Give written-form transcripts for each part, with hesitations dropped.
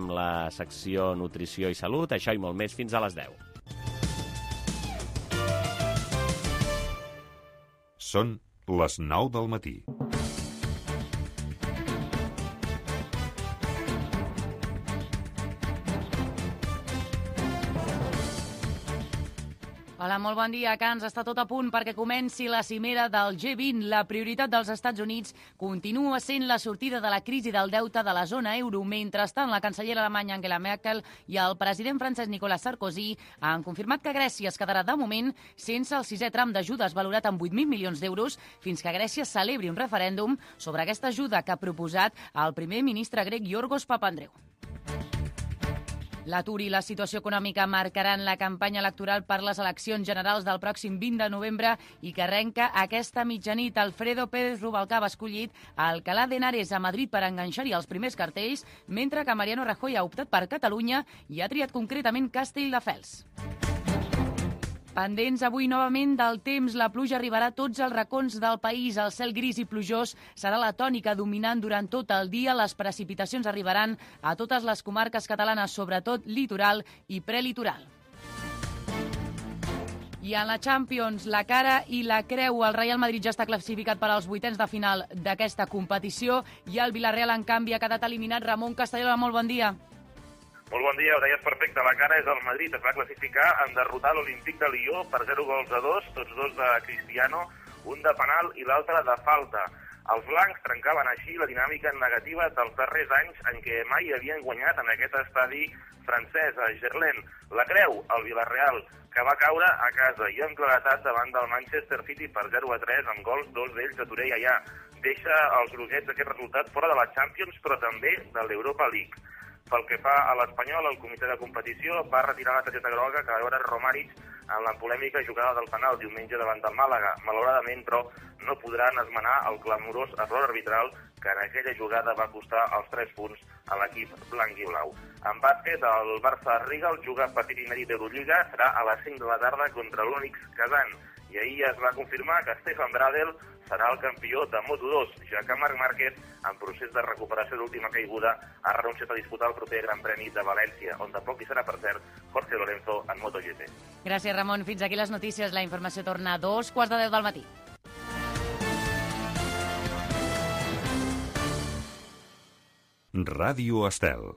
amb la secció Nutrició i Salut, això i molt més fins a les 10. Són les 9 del matí. Hola, molt bon dia. Cans, està tot a punt perquè comenci la cimera del G20. La prioritat dels Estats Units continua sent la sortida de la crisi del deute de la zona euro. Mentrestant, la cancellera alemanya Angela Merkel i el president francès Nicolas Sarkozy han confirmat que Grècia es quedarà de moment sense el sisè tram d'ajudes valorat en 8.000 milions d'euros fins que Grècia celebri un referèndum sobre aquesta ajuda que ha proposat el primer ministre grec Yorgos Papandreou. L'atur i la situació econòmica marcaran la campanya electoral per les eleccions generals del pròxim 20 de novembre i que arrenca aquesta mitjanit. Alfredo Pérez Rubalcaba ha escollit a Alcalá de Henares a Madrid per enganxar-hi els primers cartells, mentre que Mariano Rajoy ha optat per Catalunya i ha triat concretament Castelldefels. Pendents avui novament del temps, la pluja arribarà a tots els racons del país. El cel gris i plujós serà la tònica dominant durant tot el dia. Les precipitacions arribaran a totes les comarques catalanes, sobretot litoral i prelitoral. I en la Champions, la cara i la creu. El Real Madrid ja està classificat per als vuitens de final d'aquesta competició i el Villarreal, en canvi, ha quedat eliminat. Ramon Castelló, molt bon dia. Molt bon dia, ho deies perfecte. La cara és el Madrid. Es va classificar en derrotar l'Olímpic de Lió per 0-2, tots dos de Cristiano, un de penal i l'altre de falta. Els blancs trencaven així la dinàmica negativa dels darrers anys en què mai havien guanyat en aquest estadi francès, a Gerland. La creu, el Villarreal, que va caure a casa i amb claredat davant del Manchester City per 0-3 amb gols, dos d'ells de Touré i Allà. Deixa els groguets aquest resultat fora de la Champions, però també de l'Europa League. Pel que fa a l'Espanyol, el comitè de competició va retirar la targeta groga que va veure Romaric en la polèmica jugada del penal diumenge davant del Màlaga. Malauradament, però, no podran esmenar el clamorós error arbitral que en aquella jugada va costar els 3 punts a l'equip blanc i blau. En bàsquet, el Barça-Riga, el juga partit inèdit d'Eurolliga, serà a les 5 de la tarda contra l'Unix Kazan. I ahir es va confirmar que Stefan Bradl serà el campió de Moto2, ja que Marc Márquez, en procés de recuperació d'última caiguda, ha renunciat a disputar el proper Gran Premi de València, on tampoc hi serà, per cert, Jorge Lorenzo en MotoGP. Gràcies, Ramon. Fins aquí les notícies. La informació torna a 2:15 del matí. Ràdio Estel.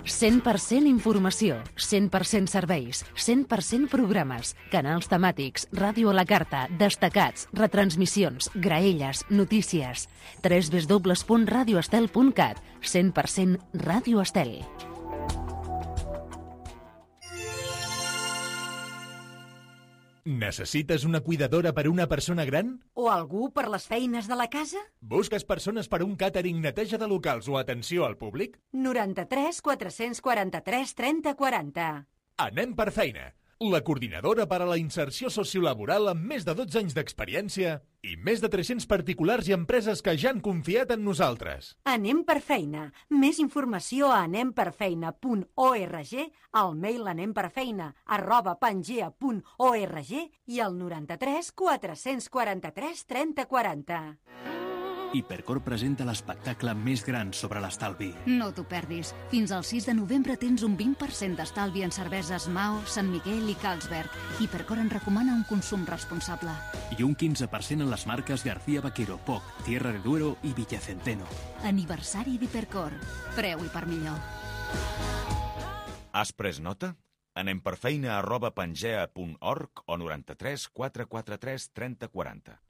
100% informació, 100% serveis, 100% programes, canals temàtics, ràdio a la carta, destacats, retransmissions, graelles, notícies. www.radioestel.cat. 100% Ràdio Estel. Necessites una cuidadora per a una persona gran? O algú per les feines de la casa? Busques persones per a un càtering, neteja de locals o atenció al públic? 93 443 30 40. Anem per feina. La coordinadora per a la inserció sociolaboral amb més de 12 anys d'experiència i més de 300 particulars i empreses que ja han confiat en nosaltres. Anem per feina. Més informació a anemperfeina.org, al mail anemperfeina@pangea.org i al 93 443 30 40. Hipercor presenta l'espectacle més gran sobre l'estalvi. No t'ho perdis. Fins al 6 de novembre tens un 20% d'estalvi en cerveses Mao, Sant Miguel i Carlsberg. Hipercor en recomana un consum responsable. I un 15% en les marques García Vaquero, Poc, Tierra de Duero i Villacenteno. Aniversari d'Hipercor. Preu i per millor. Has pres nota? Anem per feina@pangea.org o 93 443 30 40.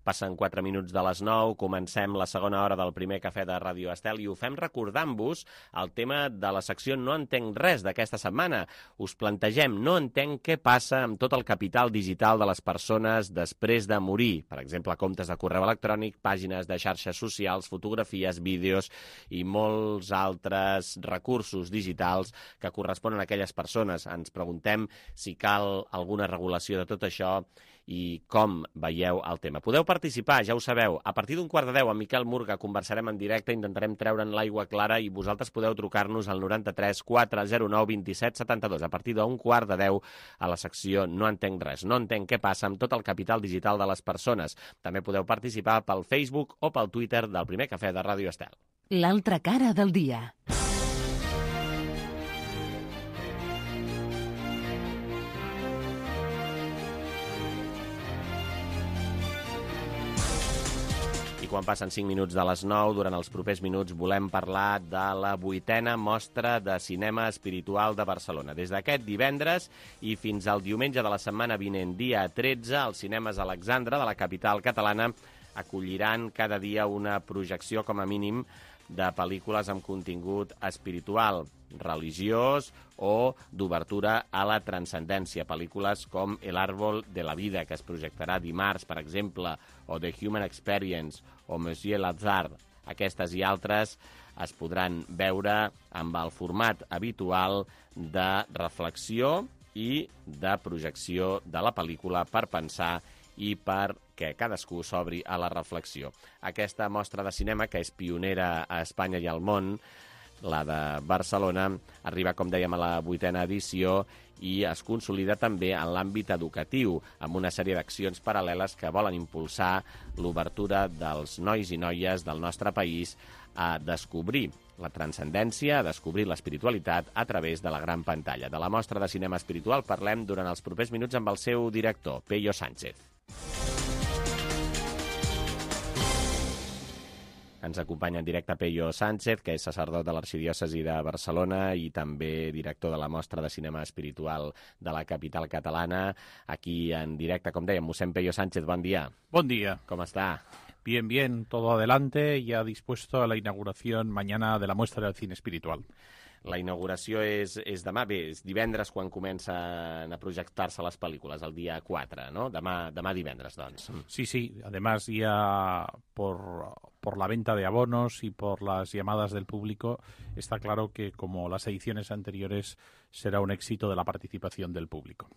Passen 4 minuts de les 9, comencem la segona hora del primer cafè de Ràdio Estel i ho fem recordant-vos el tema de la secció No entenc res d'aquesta setmana. Us plantegem, no entenc què passa amb tot el capital digital de les persones després de morir. Per exemple, comptes de correu electrònic, pàgines de xarxes socials, fotografies, vídeos i molts altres recursos digitals que corresponen a aquelles persones. Ens preguntem si cal alguna regulació de tot això i com veieu el tema. Podeu participar, ja ho sabeu. A partir d'un 9:15 amb Miquel Murga conversarem en directe, intentarem treure'n l'aigua clara i vosaltres podeu trucar-nos al 93 409 27 72. A partir d'un 9:15 a la secció No entenc res. No entenc què passa amb tot el capital digital de les persones. També podeu participar pel Facebook o pel Twitter del primer cafè de Ràdio Estel. L'altra cara del dia. quan passen 5 minuts de les 9, durant els propers minuts volem parlar de la 8a Mostra de Cinema Espiritual de Barcelona. Des d'aquest divendres i fins al diumenge de la setmana vinent, dia 13, els cinemes Alexandra de la capital catalana acolliran cada dia una projecció, com a mínim, de pel·lícules amb contingut espiritual, religiós o d'obertura a la transcendència. Pel·lícules com El árbol de la vida, que es projectarà dimarts, per exemple, o The Human Experience, o Monsieur Lazare. Aquestes i altres es podran veure amb el format habitual de reflexió i de projecció de la pel·lícula per pensar i perquè cadascú s'obri a la reflexió. Aquesta mostra de cinema, que és pionera a Espanya i al món, la de Barcelona, arriba, com dèiem, a la 8a edició i es consolida també en l'àmbit educatiu, amb una sèrie d'accions paral·leles que volen impulsar l'obertura dels nois i noies del nostre país a descobrir la transcendència, a descobrir l'espiritualitat a través de la gran pantalla. De la mostra de cinema espiritual parlem durant els propers minuts amb el seu director, Pello Sánchez. Ens acompanya en directe Pello Sánchez, que és sacerdot de l'Arxidiòcesi de Barcelona i també director de la Mostra de Cinema Espiritual de la capital catalana. Aquí en directe, com dèiem, mossèn Pello Sánchez, bon dia. Buen día. Com està? Bien, bien, todo adelante, ya dispuesto a la inauguración mañana de la Muestra del Cine Espiritual. La inauguració és demà, bé, és divendres quan comencen a projectar-se les pel·lícules, el dia 4, ¿no? Demà divendres, doncs. Sí, sí, además ya por la venta de abonos y por las llamadas del público, está claro que como las ediciones anteriores será un éxito de la participación del público.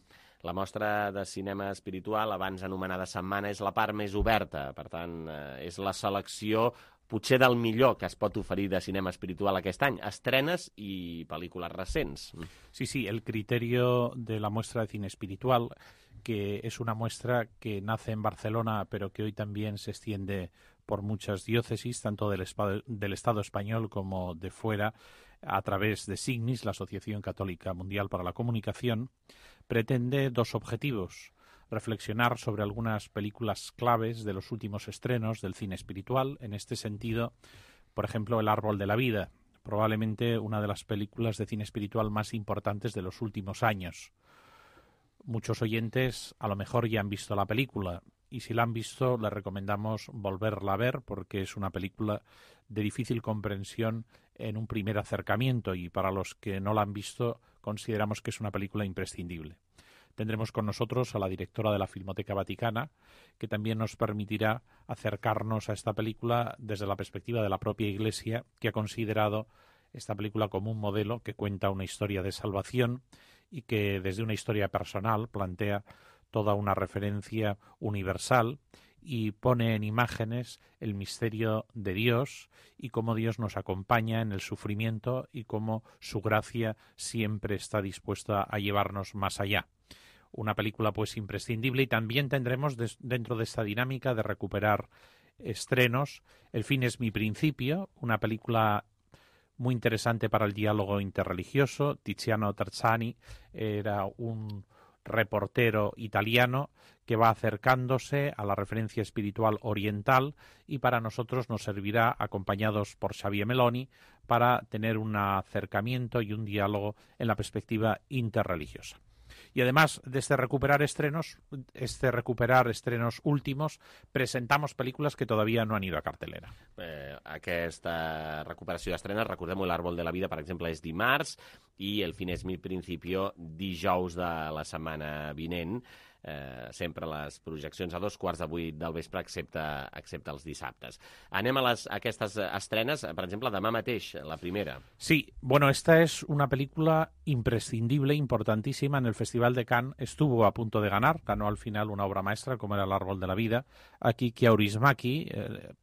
La mostra de cinema espiritual, abans anomenada setmana, és la part més oberta, per tant, és la selecció potser del millor que es pot oferir de cinema espiritual aquest any, estrenes i pel·lícules recents. Sí, sí, el criterio de la muestra de cine espiritual, que es una muestra que nace en Barcelona, pero que hoy también se extiende por muchas diócesis, tanto del Estado español como de fuera, a través de SIGNIS, la Asociación Católica Mundial para la Comunicación, pretende dos objetivos: reflexionar sobre algunas películas claves de los últimos estrenos del cine espiritual. En este sentido, por ejemplo, El árbol de la vida, probablemente una de las películas de cine espiritual más importantes de los últimos años. Muchos oyentes a lo mejor ya han visto la película, y si la han visto les recomendamos volverla a ver, porque es una película de difícil comprensión en un primer acercamiento, y para los que no la han visto consideramos que es una película imprescindible. Tendremos con nosotros a la directora de la Filmoteca Vaticana, que también nos permitirá acercarnos a esta película desde la perspectiva de la propia Iglesia, que ha considerado esta película como un modelo que cuenta una historia de salvación y que desde una historia personal plantea toda una referencia universal y pone en imágenes el misterio de Dios y cómo Dios nos acompaña en el sufrimiento y cómo su gracia siempre está dispuesta a llevarnos más allá. Una película pues imprescindible, y también tendremos dentro de esta dinámica de recuperar estrenos El fin es mi principio, una película muy interesante para el diálogo interreligioso. Tiziano Terzani era un reportero italiano que va acercándose a la referencia espiritual oriental, y para nosotros nos servirá, acompañados por Xavier Meloni, para tener un acercamiento y un diálogo en la perspectiva interreligiosa. Y además de recuperar estrenos últimos, presentamos películas que todavía no han ido a cartelera. Aquesta recuperació d'estrenes, recordem-ho, l'Àrbol de la vida, per exemple, és dimarts, i El fin és mi principio dijous de la setmana vinent. Sempre les projeccions a 7:15 del vespre, excepte els dissabtes. Anem a aquestes estrenes, per exemple, demà mateix, la primera. Sí, bueno, esta es una película imprescindible, importantísima. En el Festival de Cannes estuvo a punto de ganar, ganó al final una obra maestra como era El árbol de la vida. Aquí Kaurismäki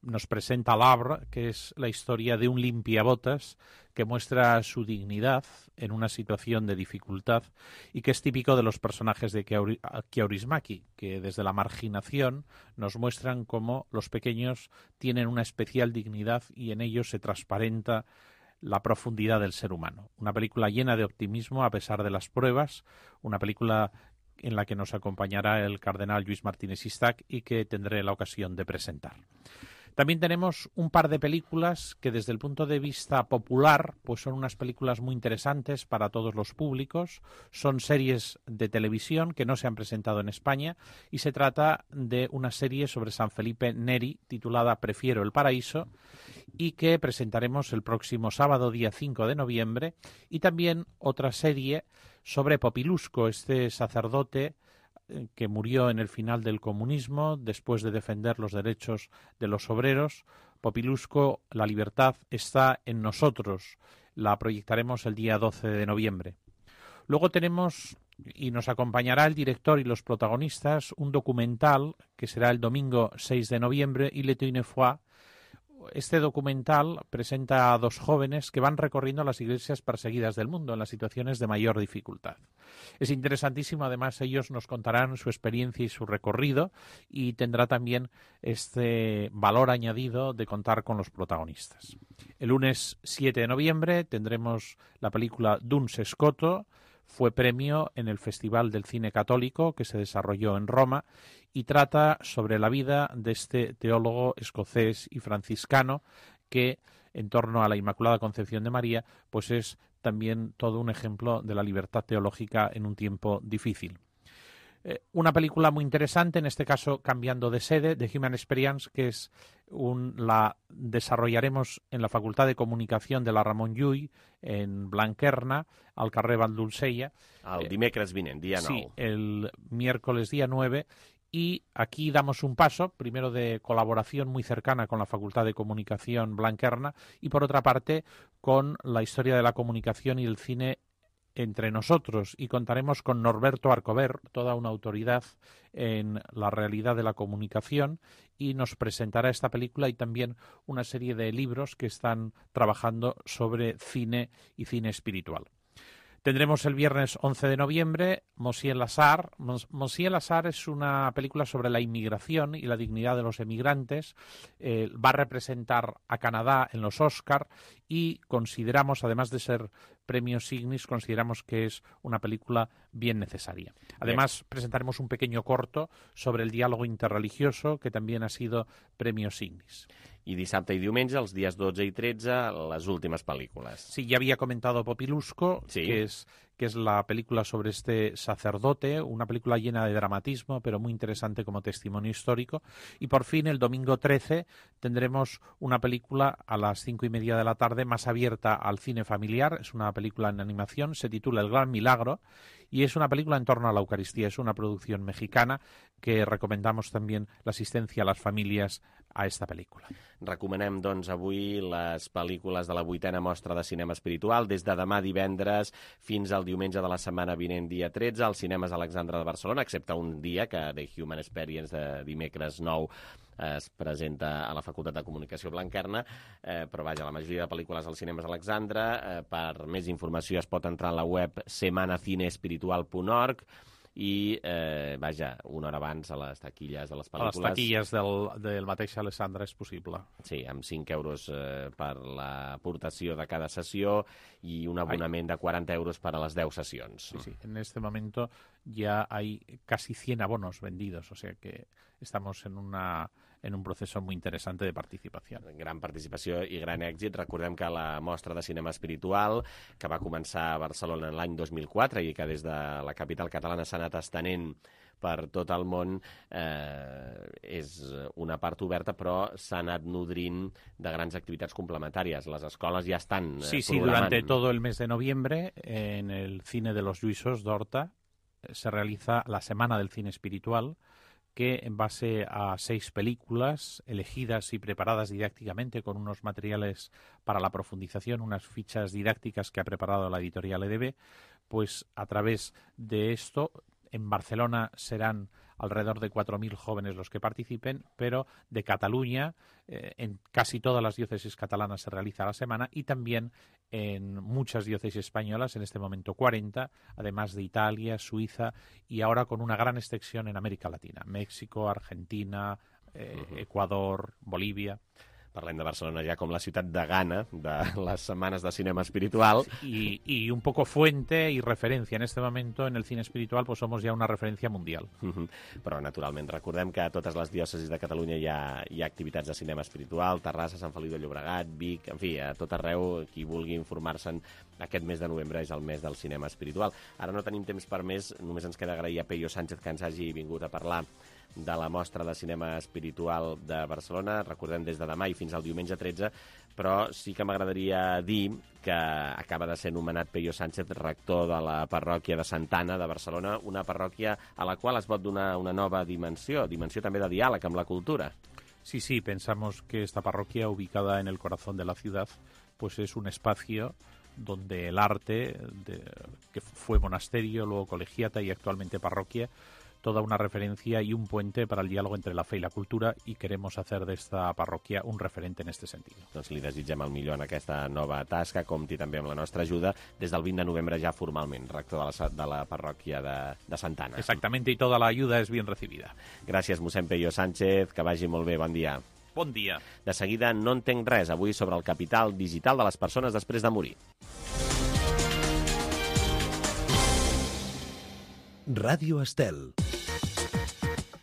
nos presenta L'Arbre, que es la historia de un limpiabotas que muestra su dignidad en una situación de dificultad y que es típico de los personajes de Kaurismäki, que desde la marginación nos muestran cómo los pequeños tienen una especial dignidad y en ellos se transparenta la profundidad del ser humano. Una película llena de optimismo a pesar de las pruebas, una película en la que nos acompañará el cardenal Lluís Martínez Sistac y que tendré la ocasión de presentar. También tenemos un par de películas que desde el punto de vista popular pues son unas películas muy interesantes para todos los públicos. Son series de televisión que no se han presentado en España y se trata de una serie sobre San Felipe Neri titulada Prefiero el paraíso y que presentaremos el próximo sábado, día 5 de noviembre, y también otra serie sobre Popilusco, este sacerdote que murió en el final del comunismo después de defender los derechos de los obreros. Popilusco, la libertad está en nosotros. La proyectaremos el día 12 de noviembre. Luego tenemos, y nos acompañará el director y los protagonistas, un documental que será el domingo 6 de noviembre, Il était une fois. Este documental presenta a dos jóvenes que van recorriendo las iglesias perseguidas del mundo en las situaciones de mayor dificultad. Es interesantísimo, además ellos nos contarán su experiencia y su recorrido y tendrá también este valor añadido de contar con los protagonistas. El lunes 7 de noviembre tendremos la película Duns Scoto. Fue premio en el Festival del Cine Católico que se desarrolló en Roma y trata sobre la vida de este teólogo escocés y franciscano que, en torno a la Inmaculada Concepción de María, pues es también todo un ejemplo de la libertad teológica en un tiempo difícil. Una película muy interesante, en este caso cambiando de sede, The Human Experience, que es la desarrollaremos en la Facultad de Comunicación de la Ramon Llull, en Blanquerna, al carrer Valdolcella. El dimecres vinent, dia 9. Sí, el miércoles día 9. Y aquí damos un paso, primero de colaboración muy cercana con la Facultad de Comunicación Blanquerna y por otra parte con la historia de la comunicación y el cine entre nosotros, y contaremos con Norberto Arcover, toda una autoridad en la realidad de la comunicación, y nos presentará esta película y también una serie de libros que están trabajando sobre cine y cine espiritual. Tendremos el viernes 11 de noviembre Monsieur Lazare. Monsieur Lazare es una película sobre la inmigración y la dignidad de los emigrantes. Va a representar a Canadá en los Oscar y consideramos, además de ser premio Signis, consideramos que es una película bien necesaria. Además, presentaremos un pequeño corto sobre el diálogo interreligioso, que también ha sido premio Signis. I dissabte i diumenge, els dies 12 i 13, les últimes pel·lícules. Sí, ya había comentado Popilusco, sí, que es la película sobre este sacerdote, una película llena de dramatismo, pero muy interesante como testimonio histórico. Y por fin, el domingo 13, tendremos una película a las 5:30 de la tarde, más abierta al cine familiar. Es una película en animación, se titula El Gran Milagro, y es una película en torno a la Eucaristía. Es una producción mexicana que recomendamos también la asistencia a las familias a esta pel·lícula. Recomanem, doncs, avui les pel·lícules de la 8a Mostra de Cinema Espiritual des de demà divendres fins al diumenge de la setmana vinent, dia 13, als cinemes Alexandre de Barcelona, excepte un dia que The Human Experience de dimecres 9 es presenta a la Facultat de Comunicació Blanquerna, però vaja, la majoria de pel·lícules als cinemes Alexandre. Per més informació es pot entrar a la web semanacinaespiritual.org i, vaja, una hora abans a les taquilles de les pel·lícules. A les taquilles del mateix Alessandra és possible. Sí, amb 5 euros per l'aportació de cada sessió i un abonament de 40 euros per a les 10 sessions. Sí, sí. En este momento ya hay casi 100 abonos vendidos, o sea que estamos en un proceso muy interesante de participación. Gran participació i gran èxit. Recordem que la Mostra de Cinema Espiritual, que va començar a Barcelona l'any 2004 i que des de la capital catalana s'ha anat estenent per tot el món, és una part oberta, però s'ha anat nodrint de grans activitats complementàries. Les escoles ja estan sí, programant. Durante todo el mes de noviembre, en el Cine de los Lluïsos d'Horta, se realiza la Semana del Cine Espiritual, que en base a 6 películas elegidas y preparadas didácticamente con unos materiales para la profundización, unas fichas didácticas que ha preparado la editorial EDB, pues a través de esto en Barcelona serán alrededor de 4.000 jóvenes los que participen, pero de Cataluña, en casi todas las diócesis catalanas se realiza la semana y también en muchas diócesis españolas, en este momento 40, además de Italia, Suiza y ahora con una gran extensión en América Latina, México, Argentina, Ecuador, Bolivia. Parlem de Barcelona ja com la ciutat de Ghana de les setmanes de cinema espiritual. Y un poco fuente y referencia en este momento en el cine espiritual, pues somos ya una referencia mundial. Però, naturalment, recordem que a totes les diòcesis de Catalunya hi ha activitats de cinema espiritual, Terrassa, Sant Feliu de Llobregat, Vic, en fi, a tot arreu, qui vulgui informar-se'n, aquest mes de novembre és el mes del cinema espiritual. Ara no tenim temps per més, només ens queda agrair a Peyo Sánchez que ens hagi vingut a parlar de la mostra de cinema espiritual de Barcelona, recordem des de demà i fins al diumenge 13, però sí que m'agradaria dir que acaba de ser nomenat Peyo Sánchez rector de la parròquia de Santa Anna de Barcelona, una parròquia a la qual es pot donar una nova dimensió també de diàleg amb la cultura. Sí, pensamos que esta parroquia, ubicada en el corazón de la ciudad, pues es un espacio donde el arte, que fue monasterio, luego colegiata y actualmente parroquia, toda una referencia y un puente para el diálogo entre la fe y la cultura, y queremos hacer de esta parroquia un referente en este sentido. Doncs li desitgem el millor en aquesta nova tasca, compti també amb la nostra ajuda, des del 20 de novembre ja formalment, rector de la parròquia de Santa Anna. Exactamente, y toda la ayuda es bien recibida. Gràcies, mossèn Peyo Sánchez, que vagi molt bé, bon dia. Bon dia. De seguida, no entenc res, avui sobre el capital digital de les persones després de morir. Ràdio Estel.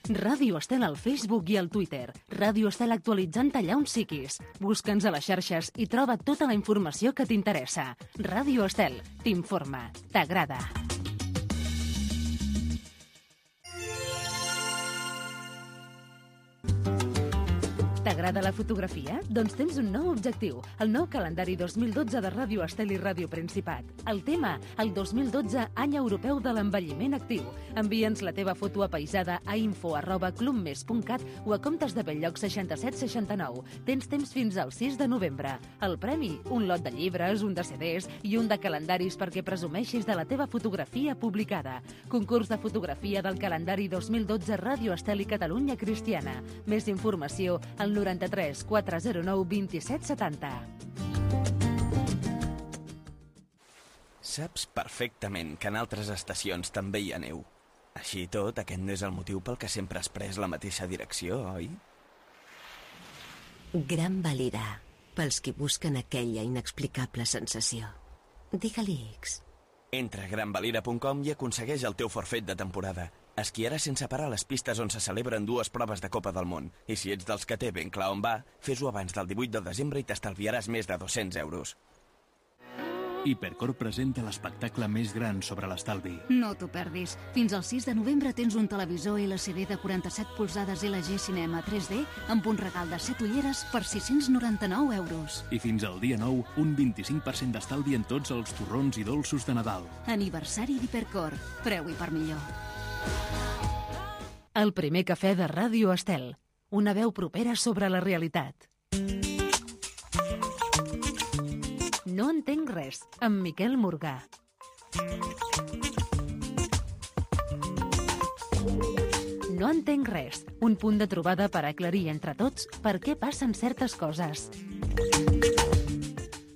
Ràdio Estel al Facebook i al Twitter. Ràdio Estel actualitzant allà on siguis. Busca'ns a les xarxes i troba tota la informació que t'interessa. Ràdio Estel t'informa, t'agrada. T'agrada la fotografia? Doncs tens un nou objectiu, el nou calendari 2012 de Ràdio Estel i Ràdio Principat. El tema, el 2012 Any Europeu de l'Envelliment Actiu. Envia'ns la teva foto apaisada a info@clubmes.cat o a comptes de Belllloc 6769. Tens temps fins al 6 de novembre. El premi, un lot de llibres, un de CDs i un de calendaris perquè presumeixis de la teva fotografia publicada. Concurs de fotografia del calendari 2012 Ràdio Estel i Catalunya Cristiana. Més informació al 93 409 27 70. Saps perfectament que en altres estacions també hi ha neu. Així i tot, aquest no és el motiu pel que sempre has pres la mateixa direcció, oi? Gran Valira, pels qui busquen aquella inexplicable sensació. Digue-li X. Entra a granvalira.com i aconsegueix el teu forfait de temporada. Esquiaràs sense parar a les pistes on se celebren 2 proves de Copa del Món. I si ets dels que té ben clar on va, fes-ho abans del 18 de desembre i t'estalviaràs més de 200 euros. Hipercor presenta l'espectacle més gran sobre l'estalvi. No t'ho perdis. Fins al 6 de novembre tens un televisor LCD de 47 polzades LG Cinema 3D amb un regal de 7 ulleres per 699 euros. I fins al dia 9, un 25% d'estalvi en tots els torrons i dolços de Nadal. Aniversari d'Hipercor. Preu i per millor. El primer cafè de Ràdio Estel. Una veu propera sobre la realitat. No entenc res, amb Miquel Morgà. No entenc res, un punt de trobada per aclarir entre tots per què passen certes coses.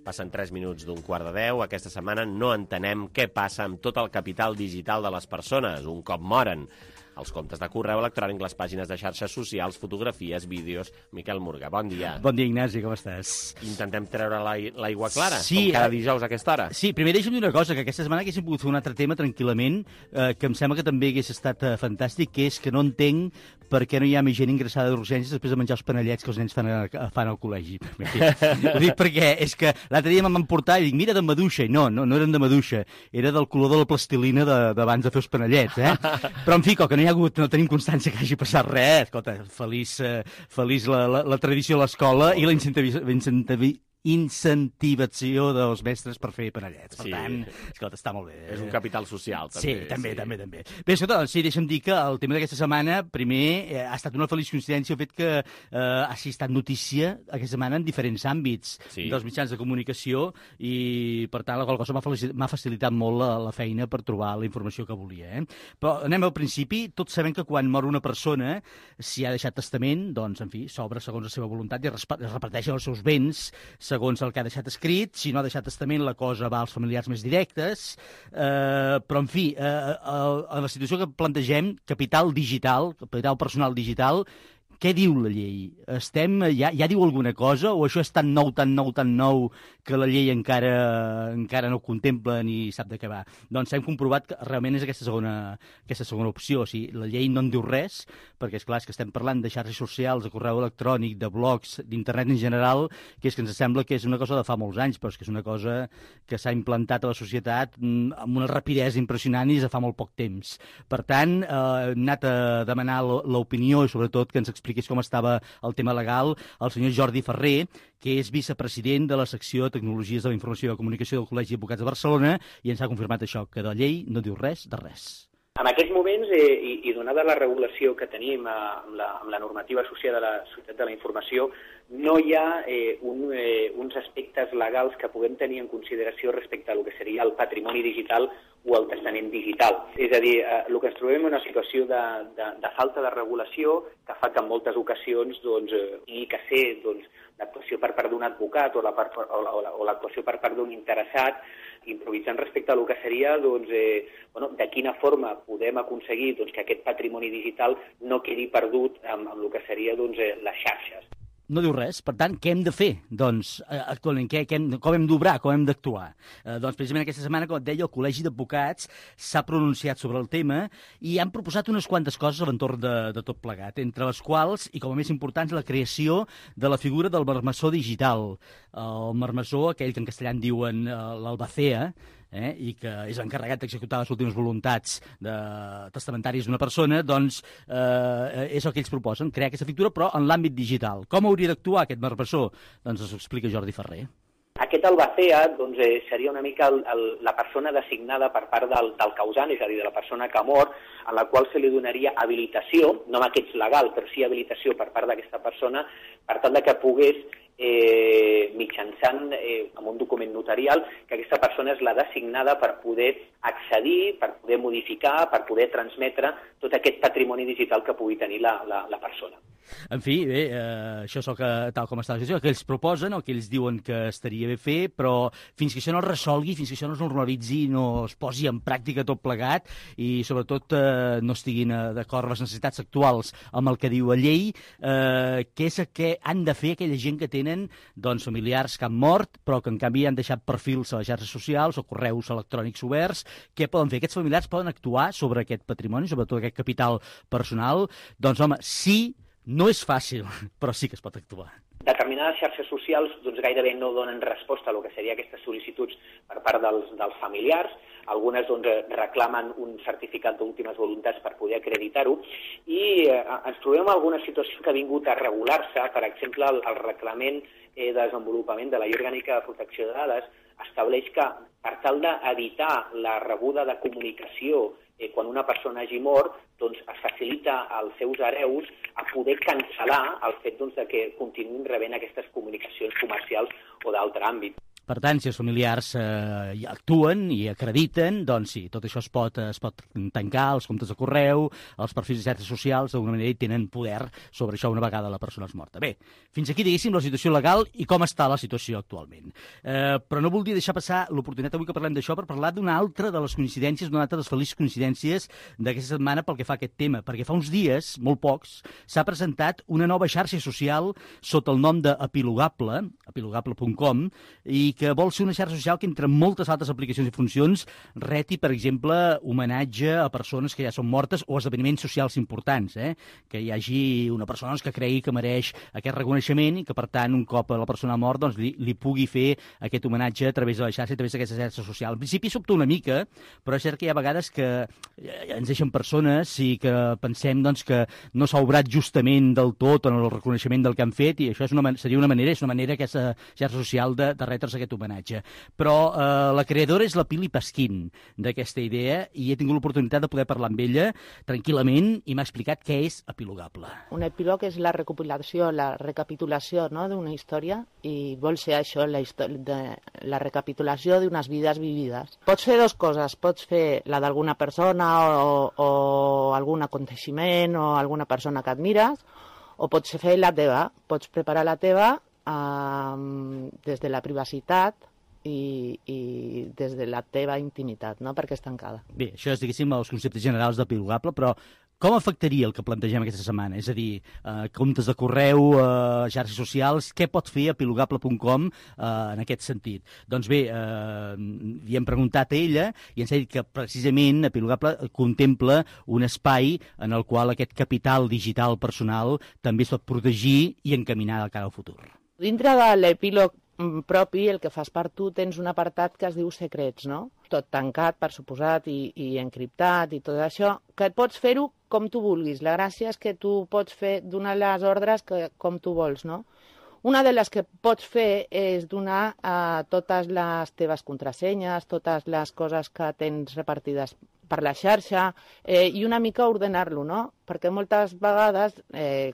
Passen 3 minuts d'un quart de 10. Aquesta setmana no entenem què passa amb tot el capital digital de les persones un cop moren. Els comptes de correu electrònic, les pàgines de xarxes socials, fotografies, vídeos... Miquel Morgà, bon dia. Bon dia, Ignasi, com estàs? Intentem treure l'aigua clara, sí, com cada dijous a aquesta hora. Sí, primer deixa'm dir una cosa, que aquesta setmana haguéssim pogut fer un altre tema tranquil·lament, que em sembla que també hagués estat fantàstic, que és que no entenc per què no hi ha més gent ingressada d'urgències després de menjar els panellets que els nens fan al col·legi. Ho dic perquè és que l'altre dia em van portar i dic, mira, de maduixa, i no eren de maduixa, era del color de la plastilina d'abans de fer els panellets, Però, en fi, com que no tenim constància que hagi passat res, escolta, feliç la tradició a l'escola i la incentivació dels mestres per fer panellets. Per tant, escolta, està molt bé. És un capital social, també. Sí, també. Bé, escolta, sí, deixa'm dir que el tema d'aquesta setmana, primer, ha estat una feliç coincidència el fet que hagi estat notícia aquesta setmana en diferents àmbits dels mitjans de comunicació i, per tant, la qual cosa m'ha facilitat molt la feina per trobar la informació que volia. Però anem al principi. Tots sabem que quan mor una persona, si ha deixat testament, doncs, en fi, s'obre segons la seva voluntat i es reparteixen els seus béns segons el que ha deixat escrit. Si no ha deixat testament, la cosa va als familiars més directes. Però, en fi, en la situació que plantegem, capital digital, capital personal digital, què diu la llei? Ja diu alguna cosa o això és tan nou que la llei encara no ho contempla ni sap de què va? Doncs hem comprovat que realment és aquesta segona opció. O sigui, la llei no en diu res, perquè és clar que estem parlant de xarxes socials, de correu electrònic, de blogs, d'internet en general, que és que ens sembla que és una cosa de fa molts anys, però és que és una cosa que s'ha implantat a la societat amb una rapidesa impressionant i des de fa molt poc temps. Per tant, hem anat a demanar l'opinió i sobretot que ens expliqués com estava el tema legal el senyor Jordi Ferrer, que és vicepresident de la secció de Tecnologies de la Informació i la Comunicació del Col·legi d'Advocats de Barcelona, i ens ha confirmat això, que de llei no diu res de res. En aquests moments, i donada la regulació que tenim amb la normativa associada a la societat de la informació, no hi ha uns aspectes legals que puguem tenir en consideració respecte a el que seria el patrimoni digital o el testament digital. És a dir, el que ens trobem en una situació de falta de regulació que fa que en moltes ocasions tingui que ser l'actuació per part d'un advocat o l'actuació per part d'un interessat, improvisant respecte a el que seria de quina forma podem aconseguir que aquest patrimoni digital no quedi perdut amb el que seria les xarxes. No diu res. Per tant, què hem de fer? Doncs, actualment, com hem d'obrar, com hem d'actuar? Doncs, precisament aquesta setmana, com et deia, el Col·legi d'Advocats s'ha pronunciat sobre el tema i han proposat unes quantes coses a l'entorn de tot plegat, entre les quals, i com a més importants, la creació de la figura del marmessor digital. El marmessor, aquell que en castellà en diuen l'albacea, i que és encarregat d'executar les últimes voluntats testamentaris d'una persona, doncs és el que ells proposen, crear aquesta figura, però en l'àmbit digital. Com hauria d'actuar aquest marmessor? Doncs ens ho explica Jordi Ferrer. Aquest albacea seria una mica la persona designada per part del causant, és a dir, de la persona que ha mort, en la qual se li donaria habilitació, no amb aquests legal, però sí habilitació per part d'aquesta persona, per tal de que pogués mitjançant amb un document notarial, que aquesta persona és la designada per poder accedir, per poder modificar, per poder transmetre tot aquest patrimoni digital que pugui tenir la persona. En fi, bé, això és el que, tal com està la situació, que ells proposen, el que ells diuen que estaria bé fer, però fins que això no es resolgui, fins que això no es normalitzi, no es posi en pràctica tot plegat i, sobretot, no estiguin d'acord amb les necessitats actuals amb el que diu la llei, què és el que han de fer aquella gent que tenen familiars que han mort, però que en canvi han deixat perfils a les xarxes socials o correus electrònics oberts. Què poden fer? Aquests familiars poden actuar sobre aquest patrimoni, sobretot aquest capital personal? Doncs, home, sí, no és fàcil, però sí que es pot actuar. Determinades xarxes socials gairebé no donen resposta a lo que seria aquestes sol·licituds per part dels familiars. Algunes reclamen un certificat d'últimes voluntats per poder acreditar-ho i ens trobem en alguna situació que ha vingut a regular-se. Per exemple, el reglament de desenvolupament de la Llei Orgànica de Protecció de Dades estableix que per tal d'evitar la rebuda de comunicació quan una persona hagi mort, es facilita als seus hereus a poder cancel·lar el fet de que continuïn rebent aquestes comunicacions comercials o d'altre àmbit. Per tant, si els familiars actuen i acrediten, doncs sí, tot això es pot tancar, els comptes de correu, els perfils de xarxes socials, d'alguna manera tenen poder sobre això una vegada la persona és morta. Bé, fins aquí, diguéssim, la situació legal i com està la situació actualment. Però no voldria deixar passar l'oportunitat avui que parlem d'això per parlar d'una altra de les coincidències, d'una altra de les feliços coincidències d'aquesta setmana pel que fa a aquest tema, perquè fa uns dies, molt pocs, s'ha presentat una nova xarxa social sota el nom d'Epilogable, epilogable.com, i que vol ser una xarxa social que, entre moltes altres aplicacions i funcions, reti, per exemple, homenatge a persones que ja són mortes o esdeveniments socials importants, que hi hagi una persona que cregui que mereix aquest reconeixement i que, per tant, un cop la persona ha mort, li pugui fer aquest homenatge a través de la xarxa, a través d'aquesta xarxa social. En principi sobta una mica, però és cert que hi ha vegades que ens deixen persones i que pensem que no s'ha obrat justament del tot en el reconeixement del que han fet, i això seria una manera aquesta xarxa social de retre's aquest homenatge. Però la creadora és la Pili Pasquín d'aquesta idea i he tingut l'oportunitat de poder parlar amb ella tranquil·lament i m'ha explicat què és Epilogable. Un epílog és la recopilació, la recapitulació d'una història i vol ser això, la recapitulació d'unes vides vivides. Pots fer dues coses, pots fer la d'alguna persona o algun aconteixement o alguna persona que admires, o pots fer la teva, pots preparar la teva des de la privacitat i des de la teva intimitat, no? Perquè és tancada. Bé, això és, diguéssim, els conceptes generals d'Epilogable, però Com afectaria el que plantegem aquesta setmana? És a dir, comptes de correu, xarxes socials, què pot fer epilogable.com en aquest sentit? Doncs bé, li hem preguntat a ella i ens ha dit que precisament Epilogable contempla un espai en el qual aquest capital digital personal també es pot protegir i encaminar de cara al futur. Dintre de l'epílog propi, el que fas per tu, tens un apartat que es diu secrets, no? Tot tancat, per suposat, i encriptat i tot això, que et pots fer-ho com tu vulguis. La gràcia és que tu pots donar les ordres com tu vols, no? Una de les que pots fer és donar totes les teves contrasenyes, totes les coses que tens repartides per la xarxa i una mica ordenar-lo, no? Perquè moltes vegades,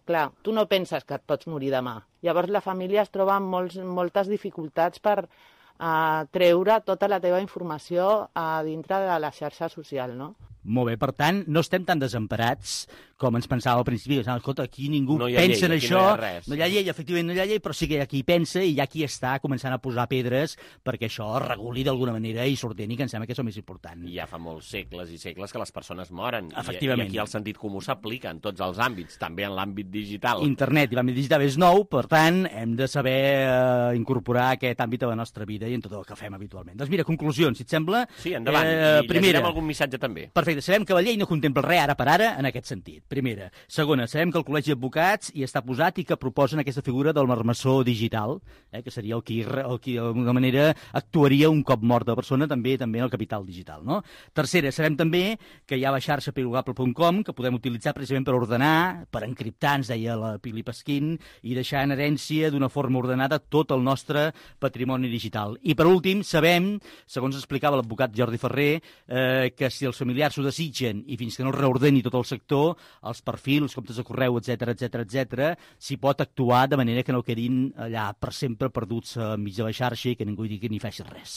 clar, tu no penses que et pots morir demà. Llavors la família es troba amb moltes dificultats per treure tota la teva informació a dintre de la xarxa social, no? Molt bé, per tant, no estem tan desemparats com ens pensava al principi. Escolta, aquí ningú pensa en això. No hi ha llei, efectivament no hi ha llei, però sí que hi ha qui pensa i hi ha qui està començant a posar pedres perquè això es reguli d'alguna manera i s'ordeni, que em sembla que és el més important. I ja fa molts segles i segles que les persones moren. Efectivament. I aquí el sentit comú s'aplica en tots els àmbits, també en l'àmbit digital. Internet i l'àmbit digital és nou, per tant, hem de saber incorporar aquest àmbit a la nostra vida i en tot el que fem habitualment. Doncs mira, conclusions, si et sembla. Sí, endavant. I llegirem algun missatge també. Perfecte. Sabem que la llei no contempla res ara per ara en aquest sentit, primera. Segona, sabem que el Col·legi d'Advocats hi està posat i que proposen aquesta figura del marmessor digital, que seria el qui d'alguna manera actuaria un cop mort de persona també en el capital digital, no? Tercera, sabem també que hi ha la xarxa epilogable.com que podem utilitzar precisament per ordenar, per encriptar, ens deia la Pili Pasquín, i deixar en herència d'una forma ordenada tot el nostre patrimoni digital. I per últim, sabem, segons explicava l'advocat Jordi Ferrer, que si els familiars ho desitgen i fins que no es reordeni tot el sector, els perfils, comptes de correu, etc, s'hi pot actuar de manera que no quedin allà per sempre perduts enmig de la xarxa i que ningú digui ni faci res.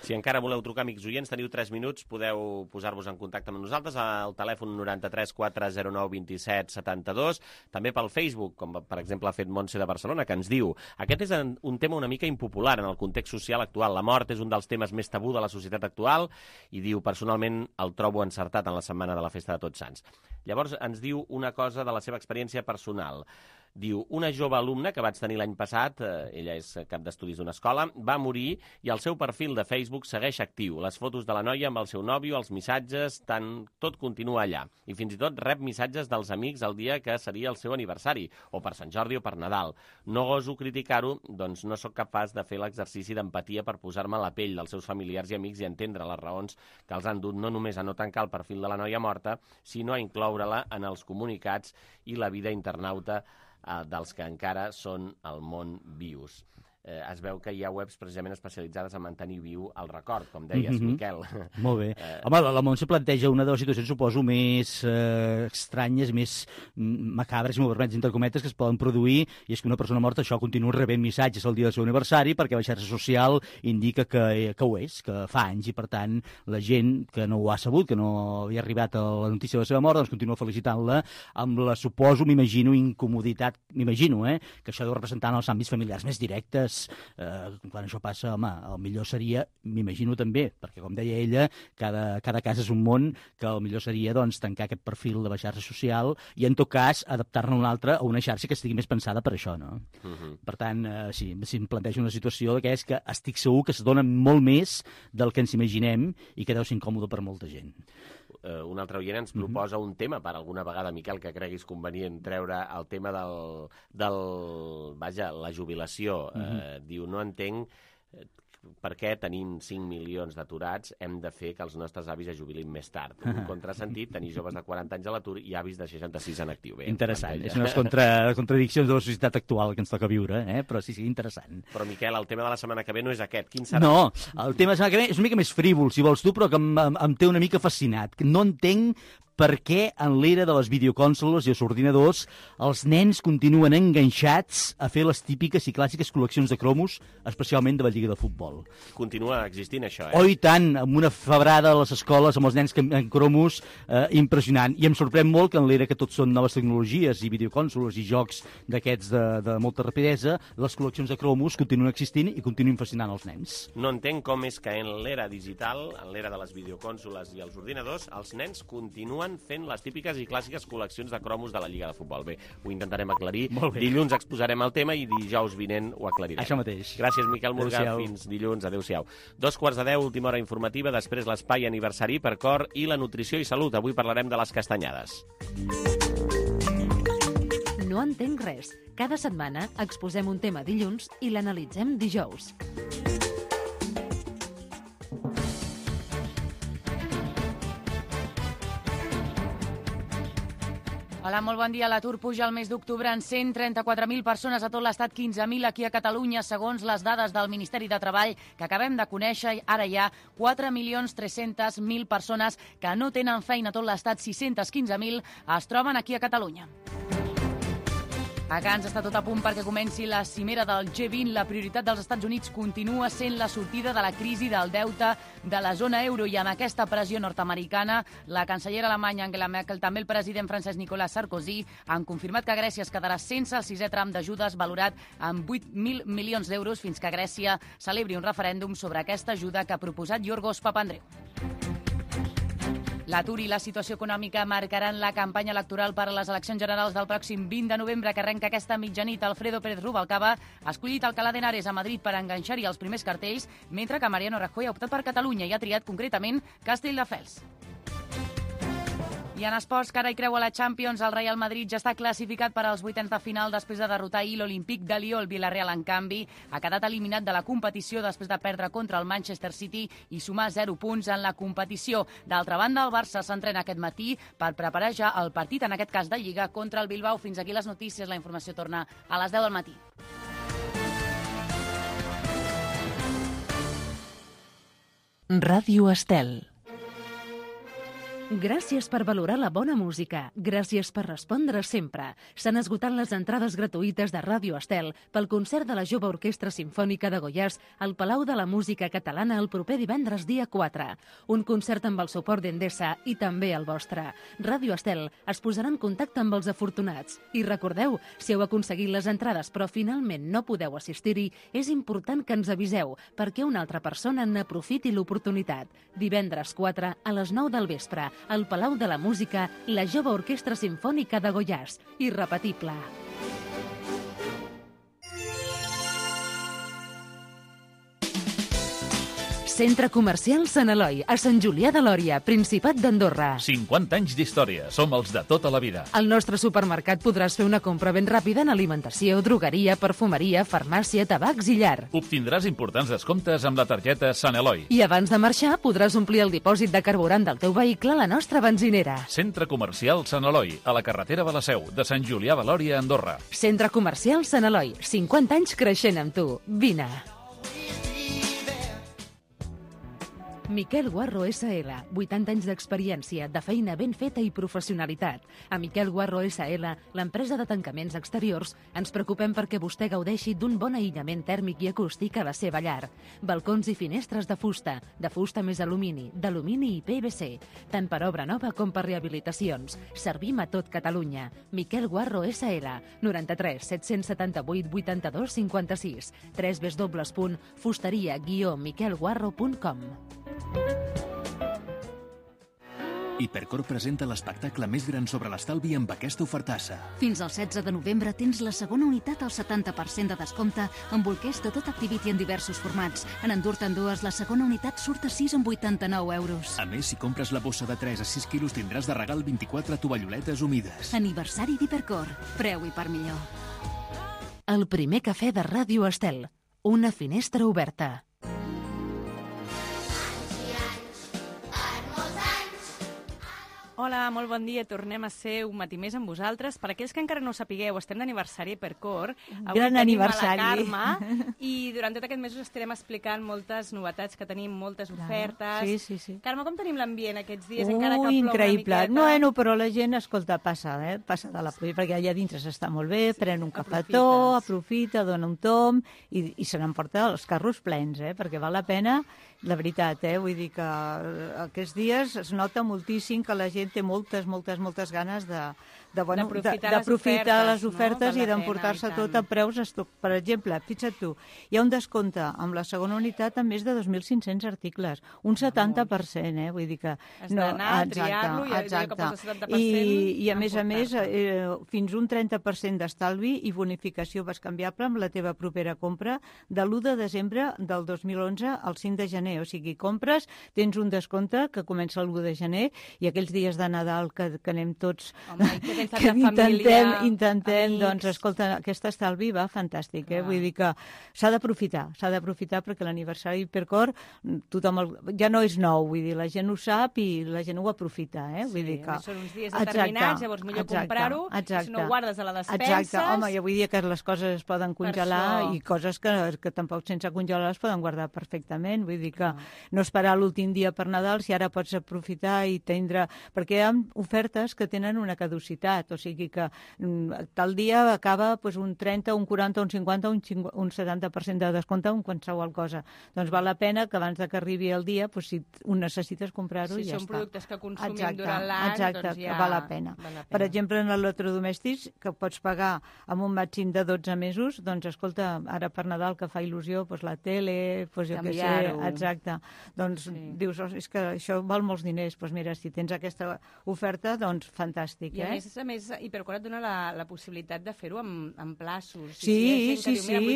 Si encara voleu trucar, amics oients, teniu 3 minuts, podeu posar-vos en contacte amb nosaltres al telèfon 93 409 27 72, també pel Facebook, com per exemple ha fet Montse de Barcelona, que ens diu: aquest és un tema una mica impopular en el context social actual. La mort és un dels temes més tabú de la societat actual i diu, personalment el trobo encertat en la setmana de la Festa de Tots Sants. Llavors ens diu una cosa de la seva experiència personal. Diu, una jove alumna que vaig tenir l'any passat, ella és cap d'estudis d'una escola, va morir i el seu perfil de Facebook segueix actiu. Les fotos de la noia amb el seu nòvio, els missatges, tot continua allà. I fins i tot rep missatges dels amics el dia que seria el seu aniversari, o per Sant Jordi o per Nadal. No goso criticar-ho, doncs no sóc capaç de fer l'exercici d'empatia per posar-me a la pell dels seus familiars i amics i entendre les raons que els han dut no només a no tancar el perfil de la noia morta, sinó a incloure-la en els comunicats i la vida internauta dels que encara són al món vius. Es veu que hi ha webs precisament especialitzades a mantenir viu el record, com deies, Miquel. Molt bé. Home, la Montse planteja una de les situacions, suposo, més estranyes, més macabres, si m'ho permets, entre cometes, que es poden produir, i és que una persona morta això continua rebent missatges el dia del seu aniversari perquè la xarxa social indica que ho és, que fa anys, i per tant la gent que no ho ha sabut, que no havia arribat a la notícia de la seva mort, doncs continua felicitant-la amb la, suposo, m'imagino, incomoditat, m'imagino, que això deu representar en els àmbits familiars més directes. Quan això passa, home, el millor seria, m'imagino també, perquè com deia ella, cada cas és un món, que el millor seria doncs tancar aquest perfil de la xarxa social i en tot cas adaptar-ne un altre a una xarxa que estigui més pensada per això, no? Per tant, sí, em planteja una situació que és que estic segur que es dona molt més del que ens imaginem i que deu ser incòmode per molta gent. Un altre oient ens proposa un tema per alguna vegada, Miquel, que creguis convenient treure el tema vaja, la jubilació. Diu, no entenc per què tenint 5 milions d'aturats hem de fer que els nostres avis es jubilin més tard. Un contrasentit, tenir joves de 40 anys a l'atur i avis de 66 en actiu. Bé, interessant, és unes contradiccions de la societat actual que ens toca viure, però sí, interessant. Però, Miquel, el tema de la setmana que ve no és aquest. Quin serà? No, el tema de la setmana que ve és una mica més frívol, si vols tu, però que em té una mica fascinat. No entenc per què en l'era de les videocònsoles i els ordinadors els nens continuen enganxats a fer les típiques i clàssiques col·leccions de cromos, especialment de la lliga de futbol. Continua existint això, Oh, i tant, amb una febrada a les escoles, amb els nens en cromos, impressionant. I em sorprèn molt que en l'era que tot són noves tecnologies i videocònsoles i jocs d'aquests de molta rapidesa, les col·leccions de cromos continuen existint i continuen fascinant els nens. No entenc com és que en l'era digital, en l'era de les videocònsoles i els ordinadors, els nens continuen continuen fent les típiques i clàssiques col·leccions de cromos de la Lliga de Futbol. Bé, ho intentarem aclarir. Molt bé. Dilluns exposarem el tema i dijous vinent ho aclarirem. Això mateix. Gràcies, Miquel Morgà. Adéu-siau. Fins dilluns. Adéu-siau. 2:15, última hora informativa, després l'espai aniversari per cor i la nutrició i salut. Avui parlarem de les castanyades. No entenc res. Cada setmana exposem un tema dilluns i l'analitzem dijous. Hola, molt bon dia. L'atur puja al mes d'octubre en 134.000 persones a tot l'estat, 15.000 aquí a Catalunya, segons les dades del Ministeri de Treball que acabem de conèixer. Ara hi ha 4.300.000 persones que no tenen feina a tot l'estat, 615.000 es troben aquí a Catalunya. A Canes està tot a punt perquè comenci la cimera del G20. La prioritat dels Estats Units continua sent la sortida de la crisi del deute de la zona euro i amb aquesta pressió nord-americana, la cancellera alemanya Angela Merkel, també el president francès Nicolas Sarkozy, han confirmat que Grècia es quedarà sense el 6è tram d'ajudes valorat en 8.000 milions d'euros fins que Grècia celebri un referèndum sobre aquesta ajuda que ha proposat Yorgos Papandreou. L'atur i la situació econòmica marcaran la campanya electoral per a les eleccions generals del pròxim 20 de novembre, que arrenca aquesta mitjanit. Alfredo Pérez Rubalcaba ha escollit Alcalá de Henares a Madrid per enganxar-hi els primers cartells, mentre que Mariano Rajoy ha optat per Catalunya i ha triat concretament Castelldefels. I en esports, que ara hi creu a la Champions, el Real Madrid ja està classificat per als vuitens de final després de derrotar ahir l'Olímpic de Lió. El Villarreal, en canvi, ha quedat eliminat de la competició després de perdre contra el Manchester City i sumar 0 punts en la competició. D'altra banda, el Barça s'entrena aquest matí per preparar ja el partit, en aquest cas de Lliga, contra el Bilbao. Fins aquí les notícies. La informació torna a les 10 del matí. Ràdio Estel. Gràcies per valorar la bona música. Gràcies per respondre sempre. S'han esgotat les entrades gratuïtes de Ràdio Estel pel concert de la Jove Orquestra Simfònica de Goiás al Palau de la Música Catalana el proper divendres dia 4. Un concert amb el suport d'Endesa i també el vostre. Ràdio Estel es posarà en contacte amb els afortunats. I recordeu, si heu aconseguit les entrades però finalment no podeu assistir-hi, és important que ens aviseu perquè una altra persona n'aprofiti l'oportunitat. Divendres 4 a les 9 del vespre, al Palau de la Música, la Jove Orquestra Simfònica de Goiás. Irrepetible. Centre Comercial Sant Eloi, a Sant Julià de Lòria, Principat d'Andorra. 50 anys d'història. Som els de tota la vida. Al nostre supermercat podràs fer una compra ben ràpida en alimentació, drogueria, perfumeria, farmàcia, tabacs i llar. Obtindràs importants descomptes amb la targeta Sant Eloi. I abans de marxar podràs omplir el dipòsit de carburant del teu vehicle a la nostra benzinera. Centre Comercial Sant Eloi, a la carretera de la Seu, de Sant Julià de Lòria, Andorra. Centre Comercial Sant Eloi, 50 anys creixent amb tu. Vine. Miquel Guarro S.L., 80 anys d'experiència, de feina ben feta i professionalitat. A Miquel Guarro S.L., l'empresa de tancaments exteriors, ens preocupem perquè vostè gaudeixi d'un bon aïllament tèrmic i acústic a la seva llar. Balcons i finestres de fusta més alumini, d'alumini i PVC, tant per obra nova com per rehabilitacions. Servim a tot Catalunya. Miquel Guarro S.L., 93 778 82 56, www.fusteria-miquelguarro.com. Hipercor presenta l'espectacle més gran sobre l'estalvi amb aquesta ofertassa. Fins al 16 de novembre tens la segona unitat al 70% de descompte amb bolquers de tot Activity en diversos formats. En endur-te'n dues, la segona unitat surt a 6 amb 89 euros. A més, si compres la bossa de 3 a 6 quilos tindràs de regal 24 tovalloletes humides. Aniversari d'Hipercor. Preu i per millor. El primer cafè de Ràdio Estel. Una finestra oberta. Hola, molt bon dia. Tornem a ser un matí més amb vosaltres. Per aquells que encara no ho sapigueu, estem d'aniversari per Cor. Avui gran tenim aniversari. a la Carme i durant tot aquest mes us estarem explicant moltes novetats que tenim, moltes ofertes. Sí, sí, sí. Carme, com tenim l'ambient aquests dies? Encara que plou increïble. una miqueta. Bueno, però la gent, escolta, passa de la pluja, perquè allà dintre s'està molt bé, pren un cafetó, aprofita, dona un tom i se n'emporta els carros plens, perquè val la pena, la veritat, vull dir que aquests dies es nota moltíssim que la gent té moltes ganes d'aprofitar les ofertes i d'emportar-se tot a preus estoc. Per exemple, fixa't tu, hi ha un descompte amb la segona unitat amb més de 2.500 articles, un 70%, vull dir que... Has d'anar a triar-lo i allò que posa 70%... I a més, fins un 30% d'estalvi i bonificació bescanviable amb la teva propera compra de l'1 de desembre del 2011 al 5 de gener. O sigui, compres, tens un descompte que comença l'1 de gener i aquells dies de Nadal que anem tots... Home, que intentem, doncs, escolta, aquest estalvi va fantàstic, vull dir que s'ha d'aprofitar perquè l'aniversari d'Hipercor ja no és nou, vull dir, la gent ho sap i la gent ho aprofita, vull dir que... Són uns dies determinats, llavors millor comprar-ho, si no ho guardes a la despenses... Exacte, home, jo vull dir que les coses es poden congelar i coses que tampoc sense congelar es poden guardar perfectament, vull dir que no esperar l'últim dia per Nadal, si ara pots aprofitar i tindre... Perquè hi ha ofertes que tenen una caducitat, o sigui que tal dia acaba un 30, un 40, un 50, un 70% de descompte en qualsevol cosa. Doncs val la pena que abans que arribi el dia, si ho necessites comprar-ho i ja està. Si són productes que consumim durant l'any, doncs ja... val la pena. Per exemple, en electrodomèstics, que pots pagar amb un màxim de 12 mesos, doncs escolta, ara per Nadal que fa il·lusió, la tele, jo què sé, exacte. Doncs dius, és que això val molts diners, doncs mira, si tens aquesta oferta, doncs fantàstic. I a més, Hipercor et dona la possibilitat de fer-ho amb plaços. Sí,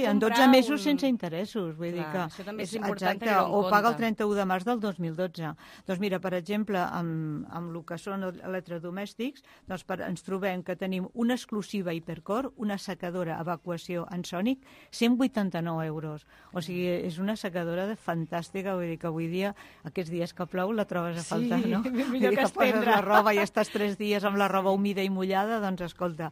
en 12 mesos sense interessos. Vull dir que això també és important tenir-ho en compte. O paga el 31 de març del 2012. Doncs mira, per exemple, amb el que són electrodomèstics, doncs ens trobem que tenim una exclusiva Hipercor, una secadora evacuació en Sonic, 189 euros. O sigui, és una secadora fantàstica, vull dir que avui dia, aquests dies que plou, la trobes a faltar, no? Millor que poses la roba i estàs 3 dies amb la roba humida i mullada, doncs escolta,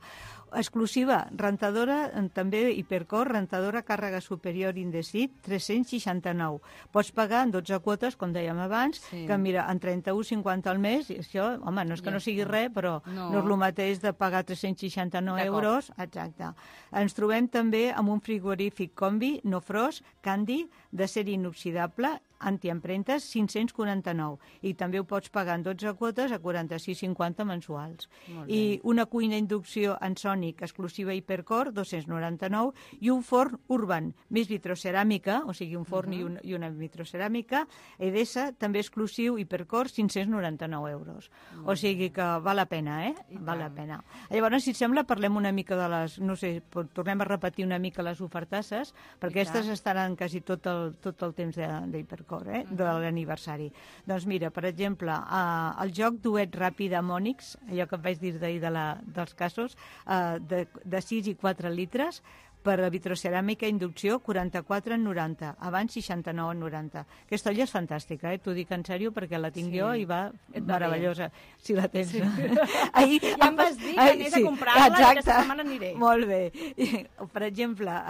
exclusiva, rentadora, també Hipercor, rentadora càrrega superior indesit, 369. Pots pagar en 12 quotes, com dèiem abans, que mira, en 31,50 al mes, i això, home, no és que no sigui res, però no és el mateix de pagar 369 euros. Exacte. Ens trobem també amb un frigorífic combi, no frost, Candy, d'acer inoxidable, antiempremtes, 549. I també ho pots pagar en 12 quotes a 46,50 mensuals. I una cuina inducció en Sonic exclusiva Hipercor, 299, i un forn Urban, més vitroceràmica, o sigui, un forn i una vitroceràmica, Edesa, també exclusiu Hipercor, 599 euros. O sigui que val la pena, Val la pena. Llavors, si et sembla, parlem una mica de les... No sé, tornem a repetir una mica les ofertasses, perquè aquestes estaran quasi tot el temps d'Hipercor, de l'aniversari. Doncs mira, per exemple, el joc duet ràpid amb Ònix, allò que et vaig dir d'ahir dels casos, de 6 i 4 litres, per a vitroceràmica inducció, 44,90. Abans, 69,90. Aquesta olla és fantàstica, t'ho dic en sèrio, perquè la tinc jo i va meravellosa, si la tens. Ahir ja em vas dir que anés a comprar-la i aquesta setmana aniré. Molt bé. Per exemple,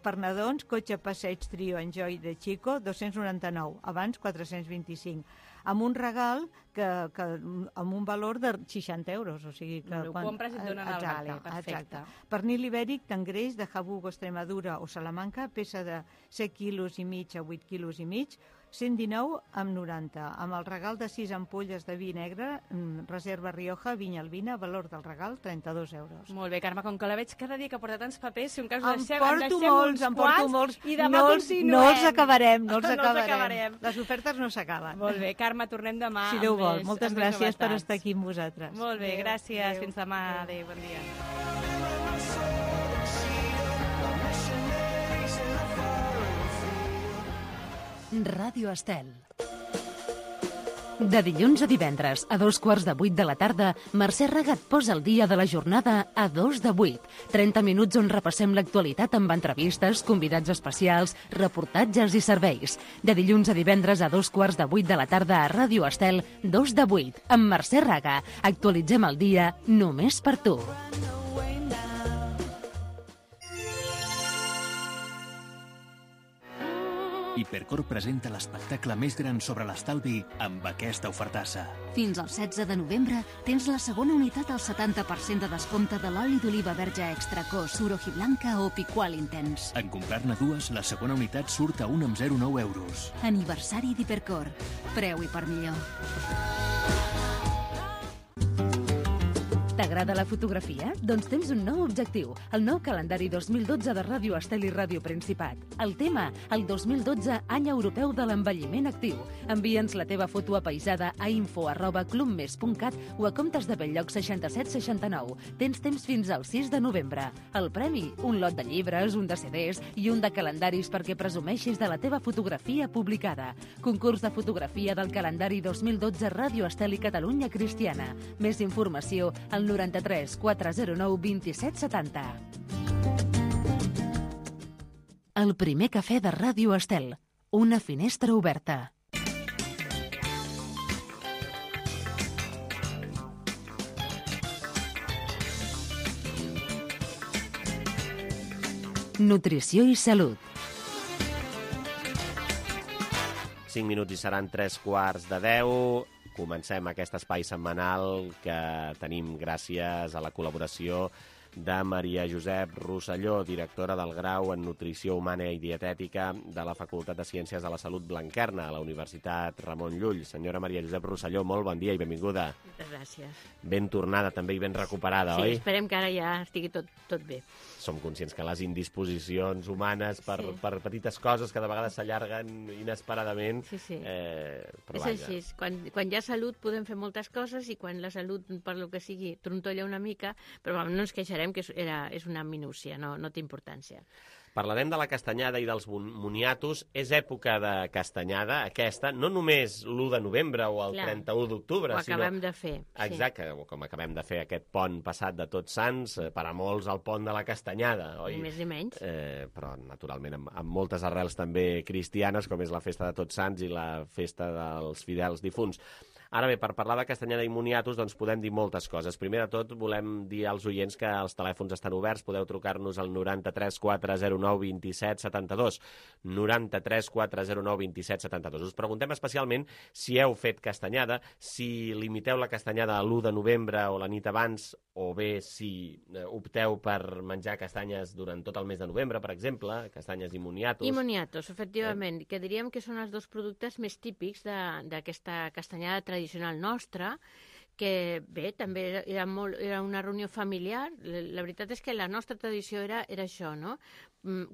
per nadons, cotxe passeig trio Enjoy de Chico, 299. Abans, 425. Amb un regal amb un valor de 60 euros. O sigui que ho compres i et donen el vale, perfecte. Pernil ibèric d'engreix de Jabugo Extremadura o Salamanca, peça de 7,5 quilos a 8,5 quilos, 119,90. Amb el regal de 6 ampolles de vi negre, reserva Rioja, vinya albina, valor del regal, 32 euros. Molt bé, Carme, com que la veig cada dia que porta tants papers, si un cas em porto molts, i demà continuem. No els acabarem. Les ofertes no s'acaben. Molt bé, Carme, tornem demà. Si Déu vol. Moltes gràcies per estar aquí amb vosaltres. Molt bé, gràcies. Fins demà. Adéu, bon dia. Ràdio Estel. De dilluns a divendres, a 7:15 de la tarda, Mercè Raga et posa el dia de la jornada a 7:02. 30 minuts on repassem l'actualitat amb entrevistes, convidats especials, reportatges i serveis. De dilluns a divendres a 7:15 de la tarda a Ràdio Estel, 7:02. Amb Mercè Raga, actualitzem el dia només per tu. Hipercor presenta l'espectacle més gran sobre l'estalvi amb aquesta ofertassa. Fins al 16 de novembre tens la segona unitat al 70% de descompte de l'oli d'oliva verge extra cos Suroji Blanca o Picual Intens. En comprar-ne dues, la segona unitat surt a 1,09 euros. Aniversari d'Hipercor. Preu i per millor. T'agrada la fotografia? Doncs tens un nou objectiu, el nou calendari 2012 de Ràdio Estel i Ràdio Principat. El tema, el 2012 Any Europeu de l'Envelliment Actiu. Envia'ns la teva foto apaisada a info@clubmes.cat o a comptes de Belllloc 6769. Tens temps fins al 6 de novembre. El premi, un lot de llibres, un de CDs i un de calendaris perquè presumeixis de la teva fotografia publicada. Concurs de fotografia del calendari 2012 Ràdio Estel i Catalunya Cristiana. Més informació al 93 409 27 70. El primer cafè de Ràdio Estel. Una finestra oberta. Nutrició i salut. 5 minuts i seran 3:45. Comencem aquest espai setmanal que tenim gràcies a la col·laboració de Maria Josep Rosselló, directora del grau en Nutrició Humana i Dietètica de la Facultat de Ciències de la Salut Blanquerna a la Universitat Ramon Llull. Senyora Maria Josep Rosselló, molt bon dia i benvinguda. Moltes gràcies. Ben tornada també i ben recuperada, sí, oi? Sí, esperem que ara ja estigui tot bé. Som conscients que les indisposicions humanes per petites coses que de vegades s'allarguen inesperadament, però vaja. És així, quan hi ha salut podem fer moltes coses i quan la salut, per lo que sigui, trontolla una mica, però no ens queixarem que és una minúcia, no té importància. Parlarem de la castanyada i dels moniatos. És època de castanyada, aquesta, no només l'1 de novembre o el 31 d'octubre. Ho acabem de fer. Exacte, com acabem de fer aquest pont passat de Tots Sants, per a molts el pont de la castanyada, oi? Ni més ni menys. Però, naturalment, amb moltes arrels també cristianes, com és la festa de Tots Sants i la festa dels fidels difunts. Ara bé, per parlar de castanyada i moniatos, doncs podem dir moltes coses. Primer de tot, volem dir als oients que els telèfons estan oberts. Podeu trucar-nos al 93 409 27 72. 93 409 27 72. Us preguntem especialment si heu fet castanyada, si limiteu la castanyada a l'1 de novembre o la nit abans, o bé si opteu per menjar castanyes durant tot el mes de novembre, per exemple, castanyes i moniatos. I moniatos, efectivament, que diríem que són els dos productes més típics d'aquesta castanyada tradicional nostra, que bé, també era una reunió familiar. La veritat és que la nostra tradició era això, no?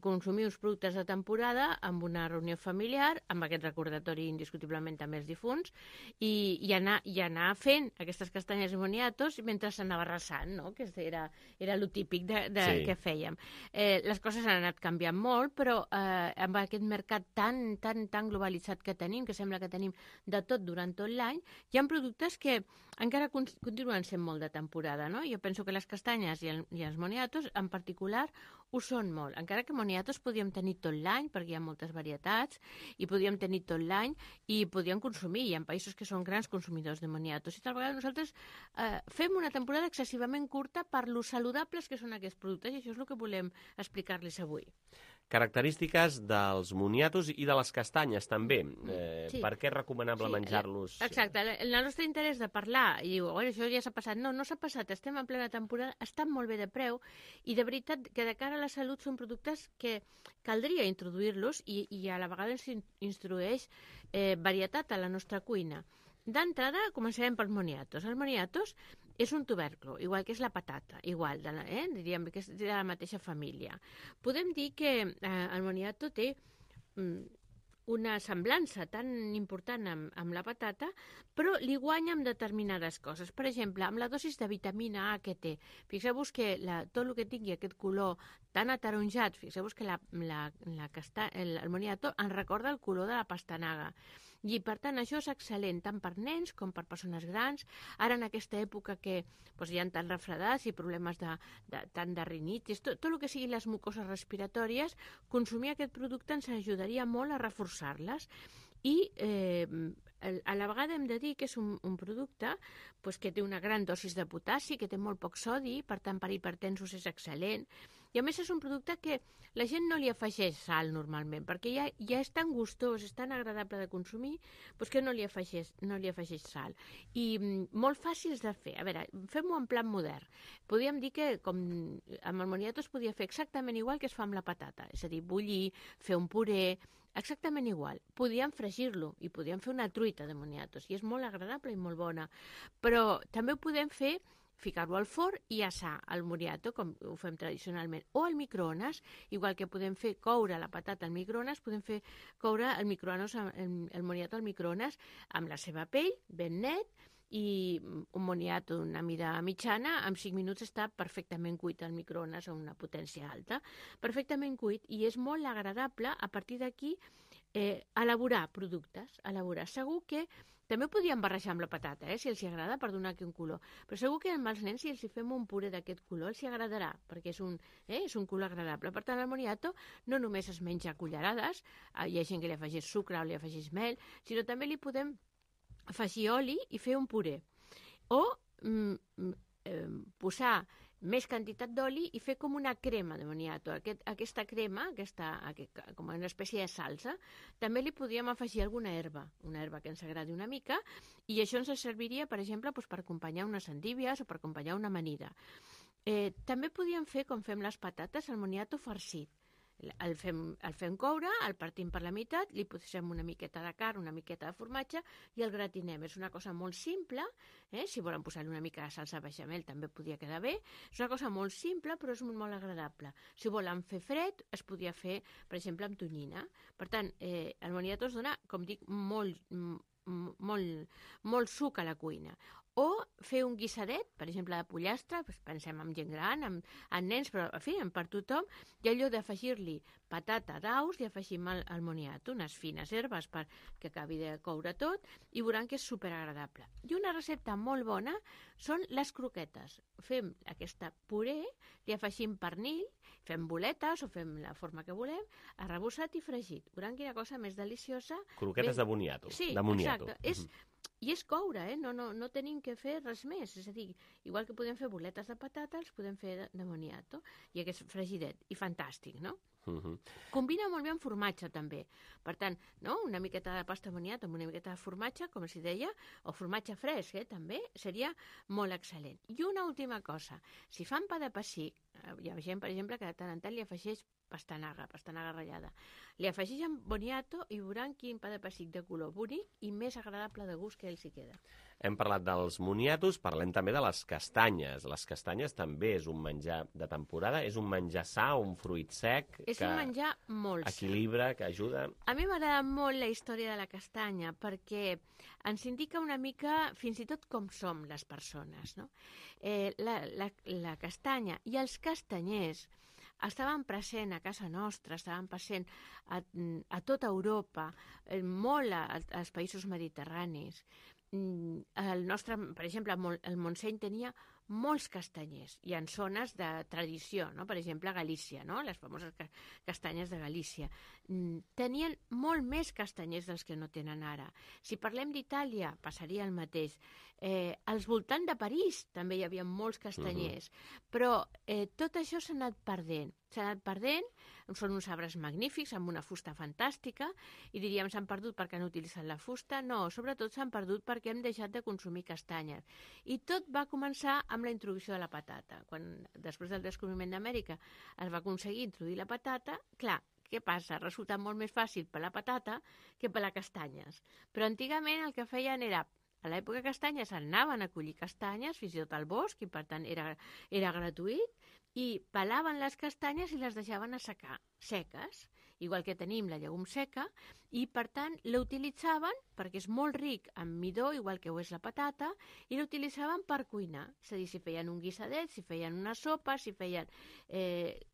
Consumir uns productes de temporada amb una reunió familiar, amb aquest recordatori indiscutiblement també els difunts, i anar fent aquestes castanyes i moniatos mentre s'anava resant, no? Que era lo típic que fèiem. Les coses han anat canviant molt, però amb aquest mercat tan globalitzat que tenim, que sembla que tenim de tot durant tot l'any, hi ha productes que encara continuen sent molt de temporada, no? Jo penso que les castanyes i els moniatos en particular ho són molt, encara que moniatos podíem tenir tot l'any, perquè hi ha moltes varietats, i podíem tenir tot l'any i podíem consumir. Hi ha països que són grans consumidors de moniatos. I tal vegada nosaltres fem una temporada excessivament curta per lo saludables que són aquests productes, i això és el que volem explicar-los avui. Característiques dels moniatos i de les castanyes, també. Per què és recomanable menjar-los? Exacte. El nostre interès de parlar, i diu, això ja s'ha passat. No s'ha passat, estem en plena temporada, estan molt bé de preu, i de veritat que de cara a la salut són productes que caldria introduir-los i a la vegada ens introdueix varietat a la nostra cuina. D'entrada, començarem pels moniatos. Els moniatos és un tubercle, igual que és la patata, igual, diríem que és de la mateixa família. Podem dir que el moniato té una semblança tan important amb la patata, però li guanya amb determinades coses. Per exemple, amb la dosis de vitamina A que té. Fixeu-vos que tot el que tingui aquest color tan ataronjat, fixeu-vos que el moniato ens recorda el color de la pastanaga. I, per tant, això és excel·lent tant per nens com per persones grans. Ara, en aquesta època que hi ha tant refredats i problemes tant de rinitis, tot el que siguin les mucoses respiratòries, consumir aquest producte ens ajudaria molt a reforçar-les. I a la vegada hem de dir que és un producte que té una gran dosis de potassi, que té molt poc sodi, per tant per hipertensos és excel·lent, i a més és un producte que la gent no li afegeix sal normalment, perquè ja és tan gustós, és tan agradable de consumir, que no li afegeix sal. I molt fàcils de fer. A veure, fem-ho en plan modern. Podríem dir que amb el moniato es podia fer exactament igual que es fa amb la patata, és a dir, bullir, fer un puré, exactament igual. Podíem fregir-lo i podíem fer una truita de moniatos i és molt agradable i molt bona. Però també ho podem fer ficar-ho al forn i assar el moniato, com ho fem tradicionalment, o al microones, igual que podem fer coure la patata al microones, podem fer coure el moniato al microones amb la seva pell, ben net, i un moniato d'una mida mitjana, en 5 minuts està perfectament cuit al microones a una potència alta, perfectament cuit, i és molt agradable a partir d'aquí elaborar productes, Segur que també ho podríem barrejar amb la patata, si els agrada, per donar aquí un color, però segur que amb els nens, si els fem un puré d'aquest color, els agradarà, perquè és un color agradable. Per tant, el moniato no només es menja a cullerades, hi ha gent que li afegeix sucre o li afegeix mel, sinó també li podem afegir oli i fer un puré. O posar més quantitat d'oli i fer com una crema de moniato. Aquesta crema, com una espècie de salsa, també li podríem afegir alguna herba, una herba que ens agradi una mica, i això ens serviria, per exemple, per acompanyar unes endívies o per acompanyar una amanida. També podríem fer, com fem les patates, el moniato farcit. El fem coure, el partim per la meitat, li posem una miqueta de carn, una miqueta de formatge i el gratinem. És una cosa molt simple, si volen posar-li una mica de salsa bechamel també podria quedar bé. És una cosa molt simple però és molt agradable. Si volen fer fred, es podria fer, per exemple, amb tonyina. Per tant, el moniato es dona, com dic, molt suc a la cuina. O fer un guisadet, per exemple, de pollastre, pensem en gent gran, en nens, però en fi, per tothom, i allò d'afegir-li patata d'aus, li afegim el moniato, unes fines herbes perquè acabi de coure tot, i veuran que és superagradable. I una recepta molt bona són les croquetes. Fem aquesta puré, li afegim pernil, fem boletes o fem la forma que volem, arrebossat i fregit. Veuran quina cosa més deliciosa. Croquetes de moniato. Sí, exacte. I és coure, no tenim que fer res més. És a dir, igual que podem fer boletes de patata, els podem fer de moniato, i aquest fregidet. I fantàstic, no? Combina molt bé amb formatge, també. Per tant, una miqueta de pasta moniato amb una miqueta de formatge, com els deia, o formatge fresc, també, seria molt excel·lent. I una última cosa, si fan pa de pessic, hi ha gent, per exemple, que de tant en tant li afegeix pastanaga ratllada. Li afegeixen boniato i veuran quin pa de pessic de color bonic i més agradable de gust que ells hi queda. Hem parlat dels moniatos, parlem també de les castanyes. Les castanyes també és un menjar de temporada, és un menjar sa, un fruit sec és un menjar molt sa. Equilibra, que ajuda. A mi m'agrada molt la història de la castanya perquè ens indica una mica fins i tot com som les persones, no? La castanya i els castanyers estaven present a casa nostra, estaven present a tota Europa, molt als països mediterranis. Per exemple, el Montseny tenia molts castanyers. Hi ha zones de tradició, per exemple, a Galícia, les famoses castanyes de Galícia. Tenien molt més castanyers dels que no tenen ara. Si parlem d'Itàlia, passaria el mateix. Als voltants de París també hi havia molts castanyers, però tot això s'ha anat perdent. Són uns arbres magnífics, amb una fusta fantàstica, i diríem s'han perdut perquè han utilitzat la fusta. No, sobretot s'han perdut perquè hem deixat de consumir castanyes. I tot va començar amb la introducció de la patata. Després del descobriment d'Amèrica es va aconseguir introduir la patata, clar, què passa? Resulta molt més fàcil per la patata que per les castanyes. Però antigament el que feien era, a l'època de castanyes, anaven a collir castanyes, fins i tot al bosc, i per tant era gratuït, i pelaven les castanyes i les deixaven assecar, seques, igual que tenim la llegum seca, i per tant l'utilitzaven perquè és molt ric en midó, igual que ho és la patata, i l'utilitzaven per cuinar. És a dir, si feien un guisadet, si feien una sopa, si feien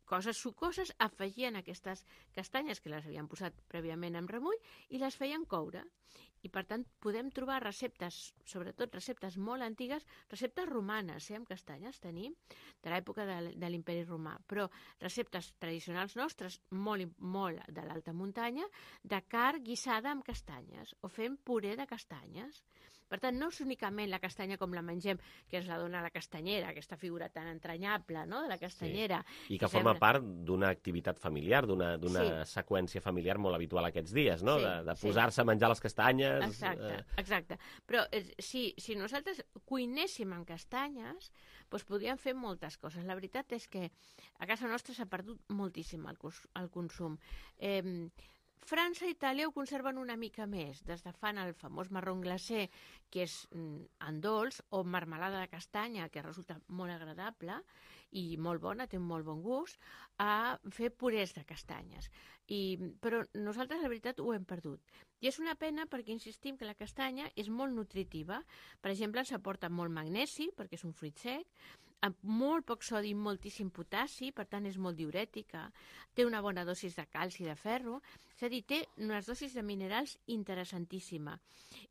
coses sucoses, afegien aquestes castanyes que les havien posat prèviament en remull i les feien coure. I per tant podem trobar receptes, sobretot receptes molt antigues, receptes romanes, amb castanyes tenim, de l'època de l'imperi romà, però receptes tradicionals nostres, molt de l'alta muntanya, de carn guisada amb castanyes, o fem puré de castanyes. Per tant, no és únicament la castanya com la mengem, que ens la dona la castanyera, aquesta figura tan entranyable, no?, de la castanyera. Sí. I que forma part d'una activitat familiar, d'una seqüència familiar molt habitual aquests dies, no?, de posar-se a menjar les castanyes. Exacte. Però si nosaltres cuinéssim amb castanyes, doncs podríem fer moltes coses. La veritat és que a casa nostra s'ha perdut moltíssim el consum. França i Itàlia ho conserven una mica més. Des de fan el famós marrón glacé, que és en dolç, o marmelada de castanya, que resulta molt agradable i molt bona, té un molt bon gust, a fer purés de castanyes. Però nosaltres, la veritat, ho hem perdut. I és una pena perquè insistim que la castanya és molt nutritiva. Per exemple, ens aporta molt magnesi, perquè és un fruit sec, amb molt poc sodi i moltíssim potassi, per tant és molt diurètica, té una bona dosis de calci i de ferro, és a dir, té unes dosis de minerals interessantíssima.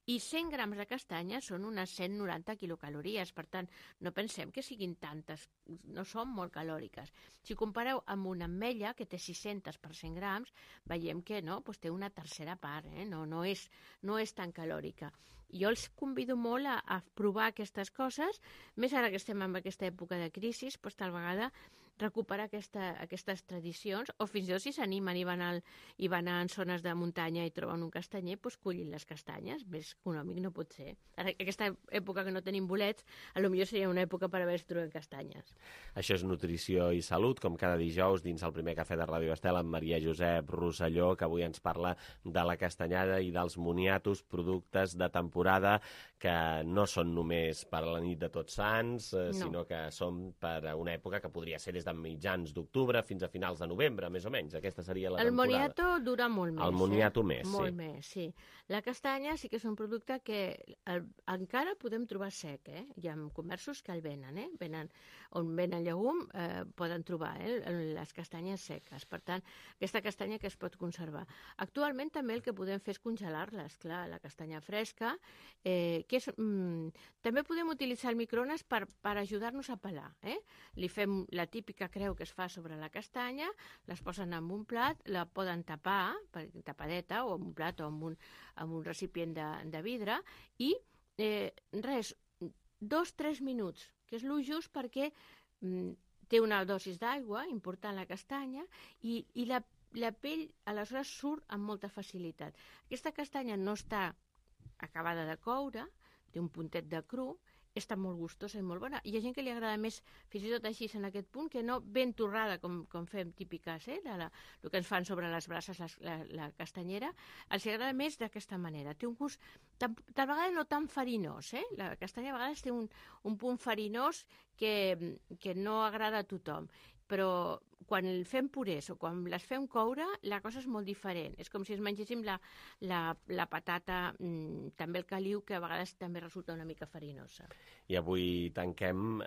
I 100 grams de castanya són unes 190 quilocalories, per tant, no pensem que siguin tantes, no són molt calòriques. Si compareu amb una ametlla, que té 600 per 100 grams, veiem que no, doncs té una tercera part, no és tan calòrica. Jo els convido molt a provar aquestes coses, més ara que estem en aquesta època de crisi, doncs tal vegada recuperar aquestes tradicions, o fins i tot si s'animen i van a zones de muntanya i troben un castanyer, doncs cullin les castanyes, més econòmic no pot ser. Ara, aquesta època que no tenim bolets, potser seria una època per haver-se trobat castanyes. Això és Nutrició i Salut, com cada dijous dins el primer cafè de Ràdio Estel amb Maria Josep Rosselló, que avui ens parla de la castanyada i dels moniatos, productes de temporada que no són només per a la nit de Tots Sants, sinó que són per a una època que podria ser des de mitjans d'octubre fins a finals de novembre, més o menys. Aquesta seria la temporada. El moniato dura molt més. El moniato més, sí. Molt més, sí. La castanya sí que és un producte que encara podem trobar sec, Hi ha comerços que el venen, on venen llegum poden trobar les castanyes seques. Per tant, aquesta castanya que es pot conservar. Actualment també el que podem fer és congelar-les, clar, la castanya fresca, també podem utilitzar el microones per ajudar-nos a pelar. Li fem la típica creu que es fa sobre la castanya, les posen en un plat, la poden tapar, tapadeta, o en un plat o en un recipient de vidre, i res, 2-3 minuts, que és lo just perquè té una dosis d'aigua important la castanya i la pell aleshores surt amb molta facilitat. Aquesta castanya no està acabada de coure, té un puntet de cru, està molt gustosa i molt bona. Hi ha gent que li agrada més, fins i tot així en aquest punt, que no ben torrada, com fem típiques, el que ens fan sobre les braces la castanyera, els agrada més d'aquesta manera. Té un gust, tal vegada no tan farinós, La castanya a vegades té un punt farinós que no agrada a tothom, però quan fem purés o quan les fem coure, la cosa és molt diferent. És com si ens mengéssim la patata, també el caliu, que a vegades també resulta una mica farinosa. I avui tanquem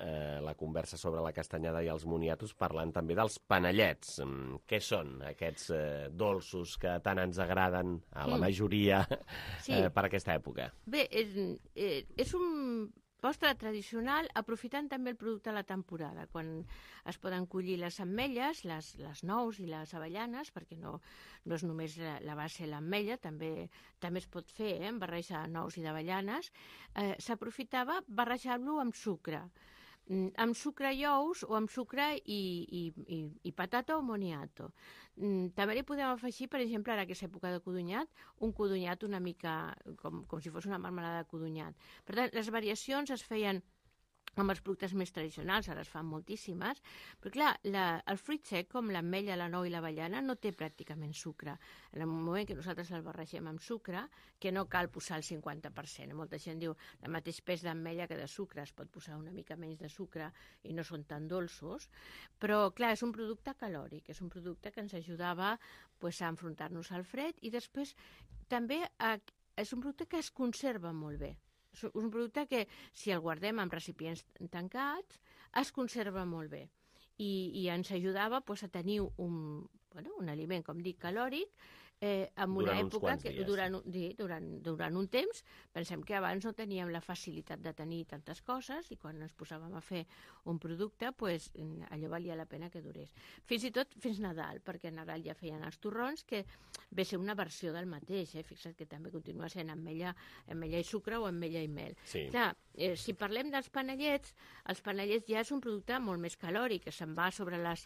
la conversa sobre la castanyada i els moniatos parlant també dels panellets. Què són aquests dolços que tant ens agraden a la majoria per aquesta època? Bé, és un postre tradicional, aprofitant també el producte de la temporada, quan es poden collir les ametlles, les nous i les avellanes, perquè no és només la base l'ametlla, també es pot fer amb barreja de nous i d'avellanes, s'aprofitava barrejar-lo amb sucre i ous, o amb sucre i patata o moniato. També li podem afegir, per exemple, ara que és època de codonyat, un codonyat una mica com si fos una marmelada de codonyat. Per tant, les variacions es feien amb els productes més tradicionals, ara es fan moltíssimes, però clar, el fruit sec, com l'ametlla, la nou i l'avellana, no té pràcticament sucre. En el moment que nosaltres el barregem amb sucre, que no cal posar el 50%. Molta gent diu, el mateix pes d'ametlla que de sucre, es pot posar una mica menys de sucre i no són tan dolços, però clar, és un producte calòric, és un producte que ens ajudava a enfrontar-nos al fred, i després també és un producte que es conserva molt bé. És un producte que, si el guardem en recipients tancats, es conserva molt bé. I ens ajudava a tenir un aliment, com dic, calòric, en una època que durant un temps. Pensem que abans no teníem la facilitat de tenir tantes coses, i quan ens posàvem a fer un producte, allò valia la pena que durés. Fins i tot fins Nadal, perquè a Nadal ja feien els torrons, que ve ser una versió del mateix. Fixa't que també continua sent ametlla i sucre o ametlla i mel. Sí. Clar, si parlem dels panellets, els panellets ja és un producte molt més calòric, que se'n va sobre les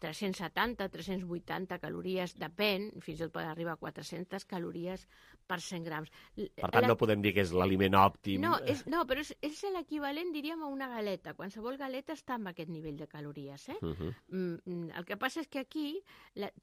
370, 380 calories, depèn, fins i tot poden arribar a 400 calories per 100 grams. Per tant, no podem dir que és l'aliment òptim. No, però és l'equivalent, diríem, a una galeta. Qualsevol galeta està amb aquest nivell de calories. El que passa és que aquí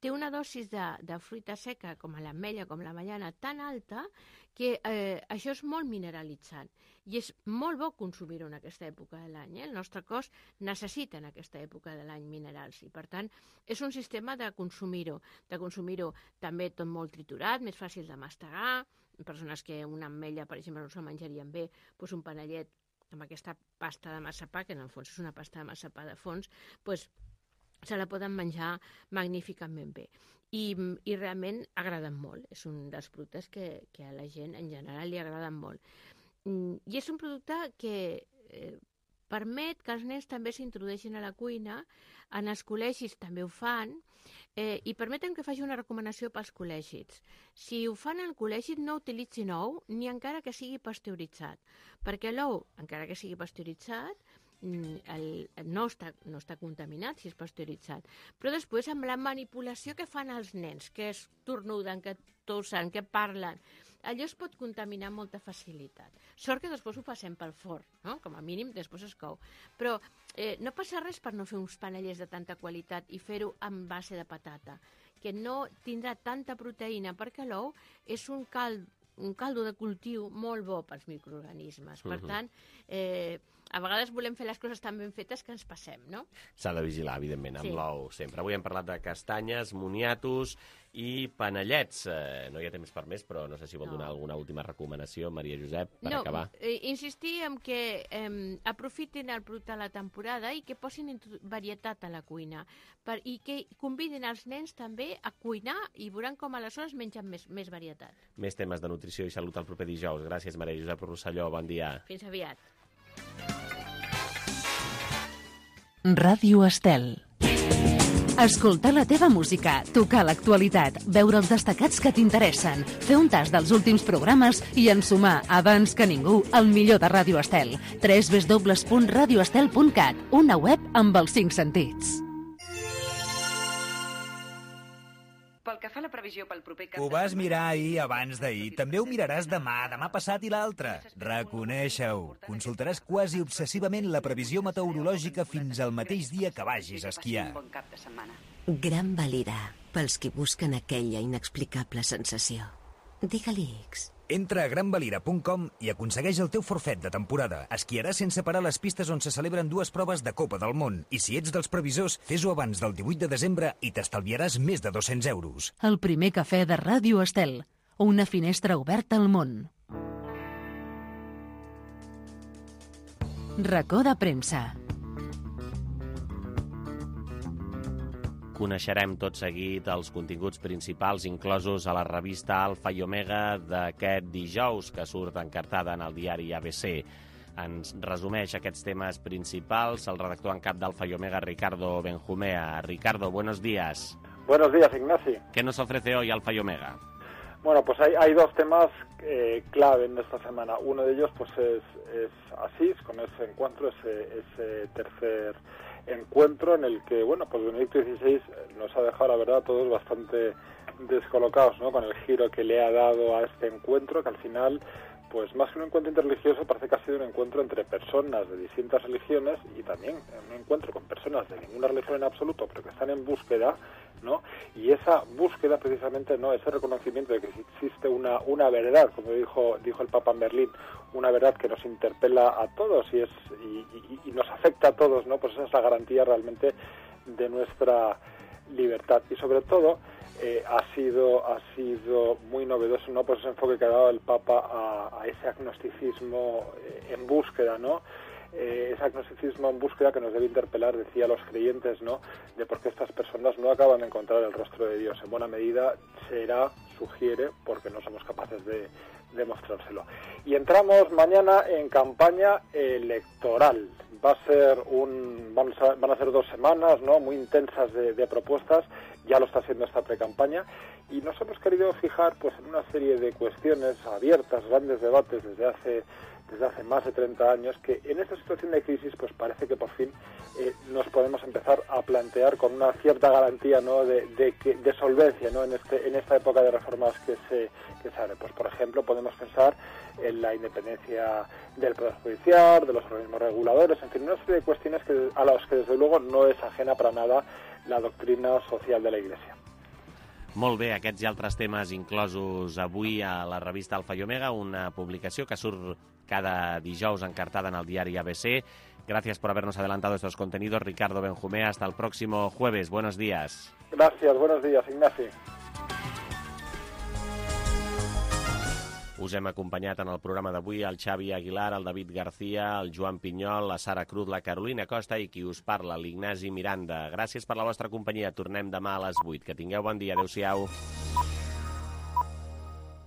té una dosis de fruita seca, com l'ametlla, com l'avellana, tan alta que això és molt mineralitzant. I és molt bo consumir-ho en aquesta època de l'any. El nostre cos necessita en aquesta època de l'any minerals i, per tant, és un sistema de consumir-ho també tot molt triturat, més fàcil de mastegar. Persones que una ametlla, per exemple, no se menjarien bé, doncs un panellet amb aquesta pasta de massapà, que en el fons és una pasta de massapà de fons, doncs se la poden menjar magníficament bé. I realment agraden molt. És un dels productes que a la gent en general li agraden molt. I és un producte que permet que els nens també s'introdueixin a la cuina, en els col·legis també ho fan, i permeten que faci una recomanació pels col·legis. Si ho fan al col·legi, no utilitzin ou, ni encara que sigui pasteuritzat, perquè l'ou, encara que sigui pasteuritzat, no està contaminat si és pasteuritzat. Però després, amb la manipulació que fan els nens, que es tornuden, que tossen, que parlen, allò es pot contaminar amb molta facilitat. Sort que després ho passem pel forn, no? Com a mínim després es cou. Però no passa res per no fer uns panellets de tanta qualitat i fer-ho amb base de patata, que no tindrà tanta proteïna, perquè l'ou és un caldo de cultiu molt bo pels microorganismes. Per tant, a vegades volem fer les coses tan ben fetes que ens passem, no? S'ha de vigilar, evidentment, amb l'ou sempre. Avui hem parlat de castanyes, moniatos i panellets. No hi ha temps per més, però no sé si vol donar alguna última recomanació, Maria Josep, per acabar. Insistir en que aprofitin el producte de la temporada i que posin varietat a la cuina i que convidin els nens també a cuinar i veuran com aleshores mengen més varietat. Més temes de nutrició i salut el proper dijous. Gràcies, Maria Josep Rosselló. Bon dia. Fins aviat. Ràdio Estel. Escoltar la teva música, tocar l'actualitat, veure els destacats que t'interessen, fer un tas dels últims programes i ensumar, abans que ningú, el millor de Ràdio Estel. www.radioestel.cat, una web amb els 5 sentits. Pel que fa a la previsió pel proper cap Ho vas mirar ahir abans d'ahir. També ho miraràs demà passat i l'altre. Reconeixa-ho. Consultaràs quasi obsessivament la previsió meteorològica fins al mateix dia que vagis a esquiar. Gran Valira, pels qui busquen aquella inexplicable sensació. Digue-li X. Entra a granvalira.com i aconsegueix el teu forfet de temporada. Esquiaràs sense parar les pistes on se celebren 2 proves de Copa del Món. I si ets dels previsors, fes-ho abans del 18 de desembre i t'estalviaràs més de 200 euros. El primer cafè de Ràdio Estel. Una finestra oberta al món. Racó de premsa. Coneixerem tot seguit els continguts principals inclosos a la revista Alfa i Omega d'aquest dijous, que surt encartada en el diari ABC. Ens resumeix aquests temes principals el redactor en cap d'Alfa y Omega, Ricardo Benjumea. Ricardo, buenos días. Buenos días, Ignasi. ¿Qué nos ofrece hoy Alfa y Omega? Bueno, pues hay 2 temas clave en esta semana. Uno de ellos pues es Asís, con ese encuentro, ese tercer encuentro en el que, bueno, pues Benedicto XVI nos ha dejado, la verdad, todos bastante descolocados, ¿no?, con el giro que le ha dado a este encuentro, que al final, pues más que un encuentro interreligioso, parece que ha sido un encuentro entre personas de distintas religiones y también un encuentro con personas de ninguna religión en absoluto, pero que están en búsqueda, ¿no? Y esa búsqueda, precisamente, ¿no?, ese reconocimiento de que existe una verdad, como dijo el Papa en Berlín, una verdad que nos interpela a todos y nos afecta a todos, ¿no? Pues esa es la garantía realmente de nuestra libertad. Y sobre todo ha sido muy novedoso, ¿no?, pues ese enfoque que ha dado el Papa a ese agnosticismo en búsqueda, ¿no? Ese agnosticismo en búsqueda que nos debe interpelar, decía, a los creyentes, ¿no?, de por qué estas personas no acaban de encontrar el rostro de Dios. En buena medida sugiere, porque no somos capaces de demostrárselo. Y entramos mañana en campaña electoral. Van a ser 2 semanas, ¿no?, muy intensas de propuestas. Ya lo está haciendo esta precampaña, y nos hemos querido fijar pues en una serie de cuestiones abiertas, grandes debates desde hace desde hace más de 30 años, que en esta situación de crisis pues parece que por fin nos podemos empezar a plantear con una cierta garantía, ¿no?, de solvencia, ¿no?, en esta época de reformas que se abre. Pues por ejemplo podemos pensar en la independencia del Poder Judicial, de los organismos reguladores, en fin, una serie de cuestiones a las que desde luego no es ajena para nada la doctrina social de la Iglesia. Molt bé, aquests i altres temes inclosos avui a la revista Alfa i Omega, una publicació que surt cada dijous encartada en el diari ABC. Gracias por habernos adelantado estos contenidos, Ricardo Benjumea. Hasta el próximo jueves. Buenos días. Gracias, buenos días, Ignasi. Us hem acompanyat en el programa d'avui el Xavi Aguilar, el David García, el Joan Pinyol, la Sara Cruz, la Carolina Costa i qui us parla, l'Ignasi Miranda. Gràcies per la vostra companyia. Tornem demà a les 8. Que tingueu bon dia. Adéu-siau.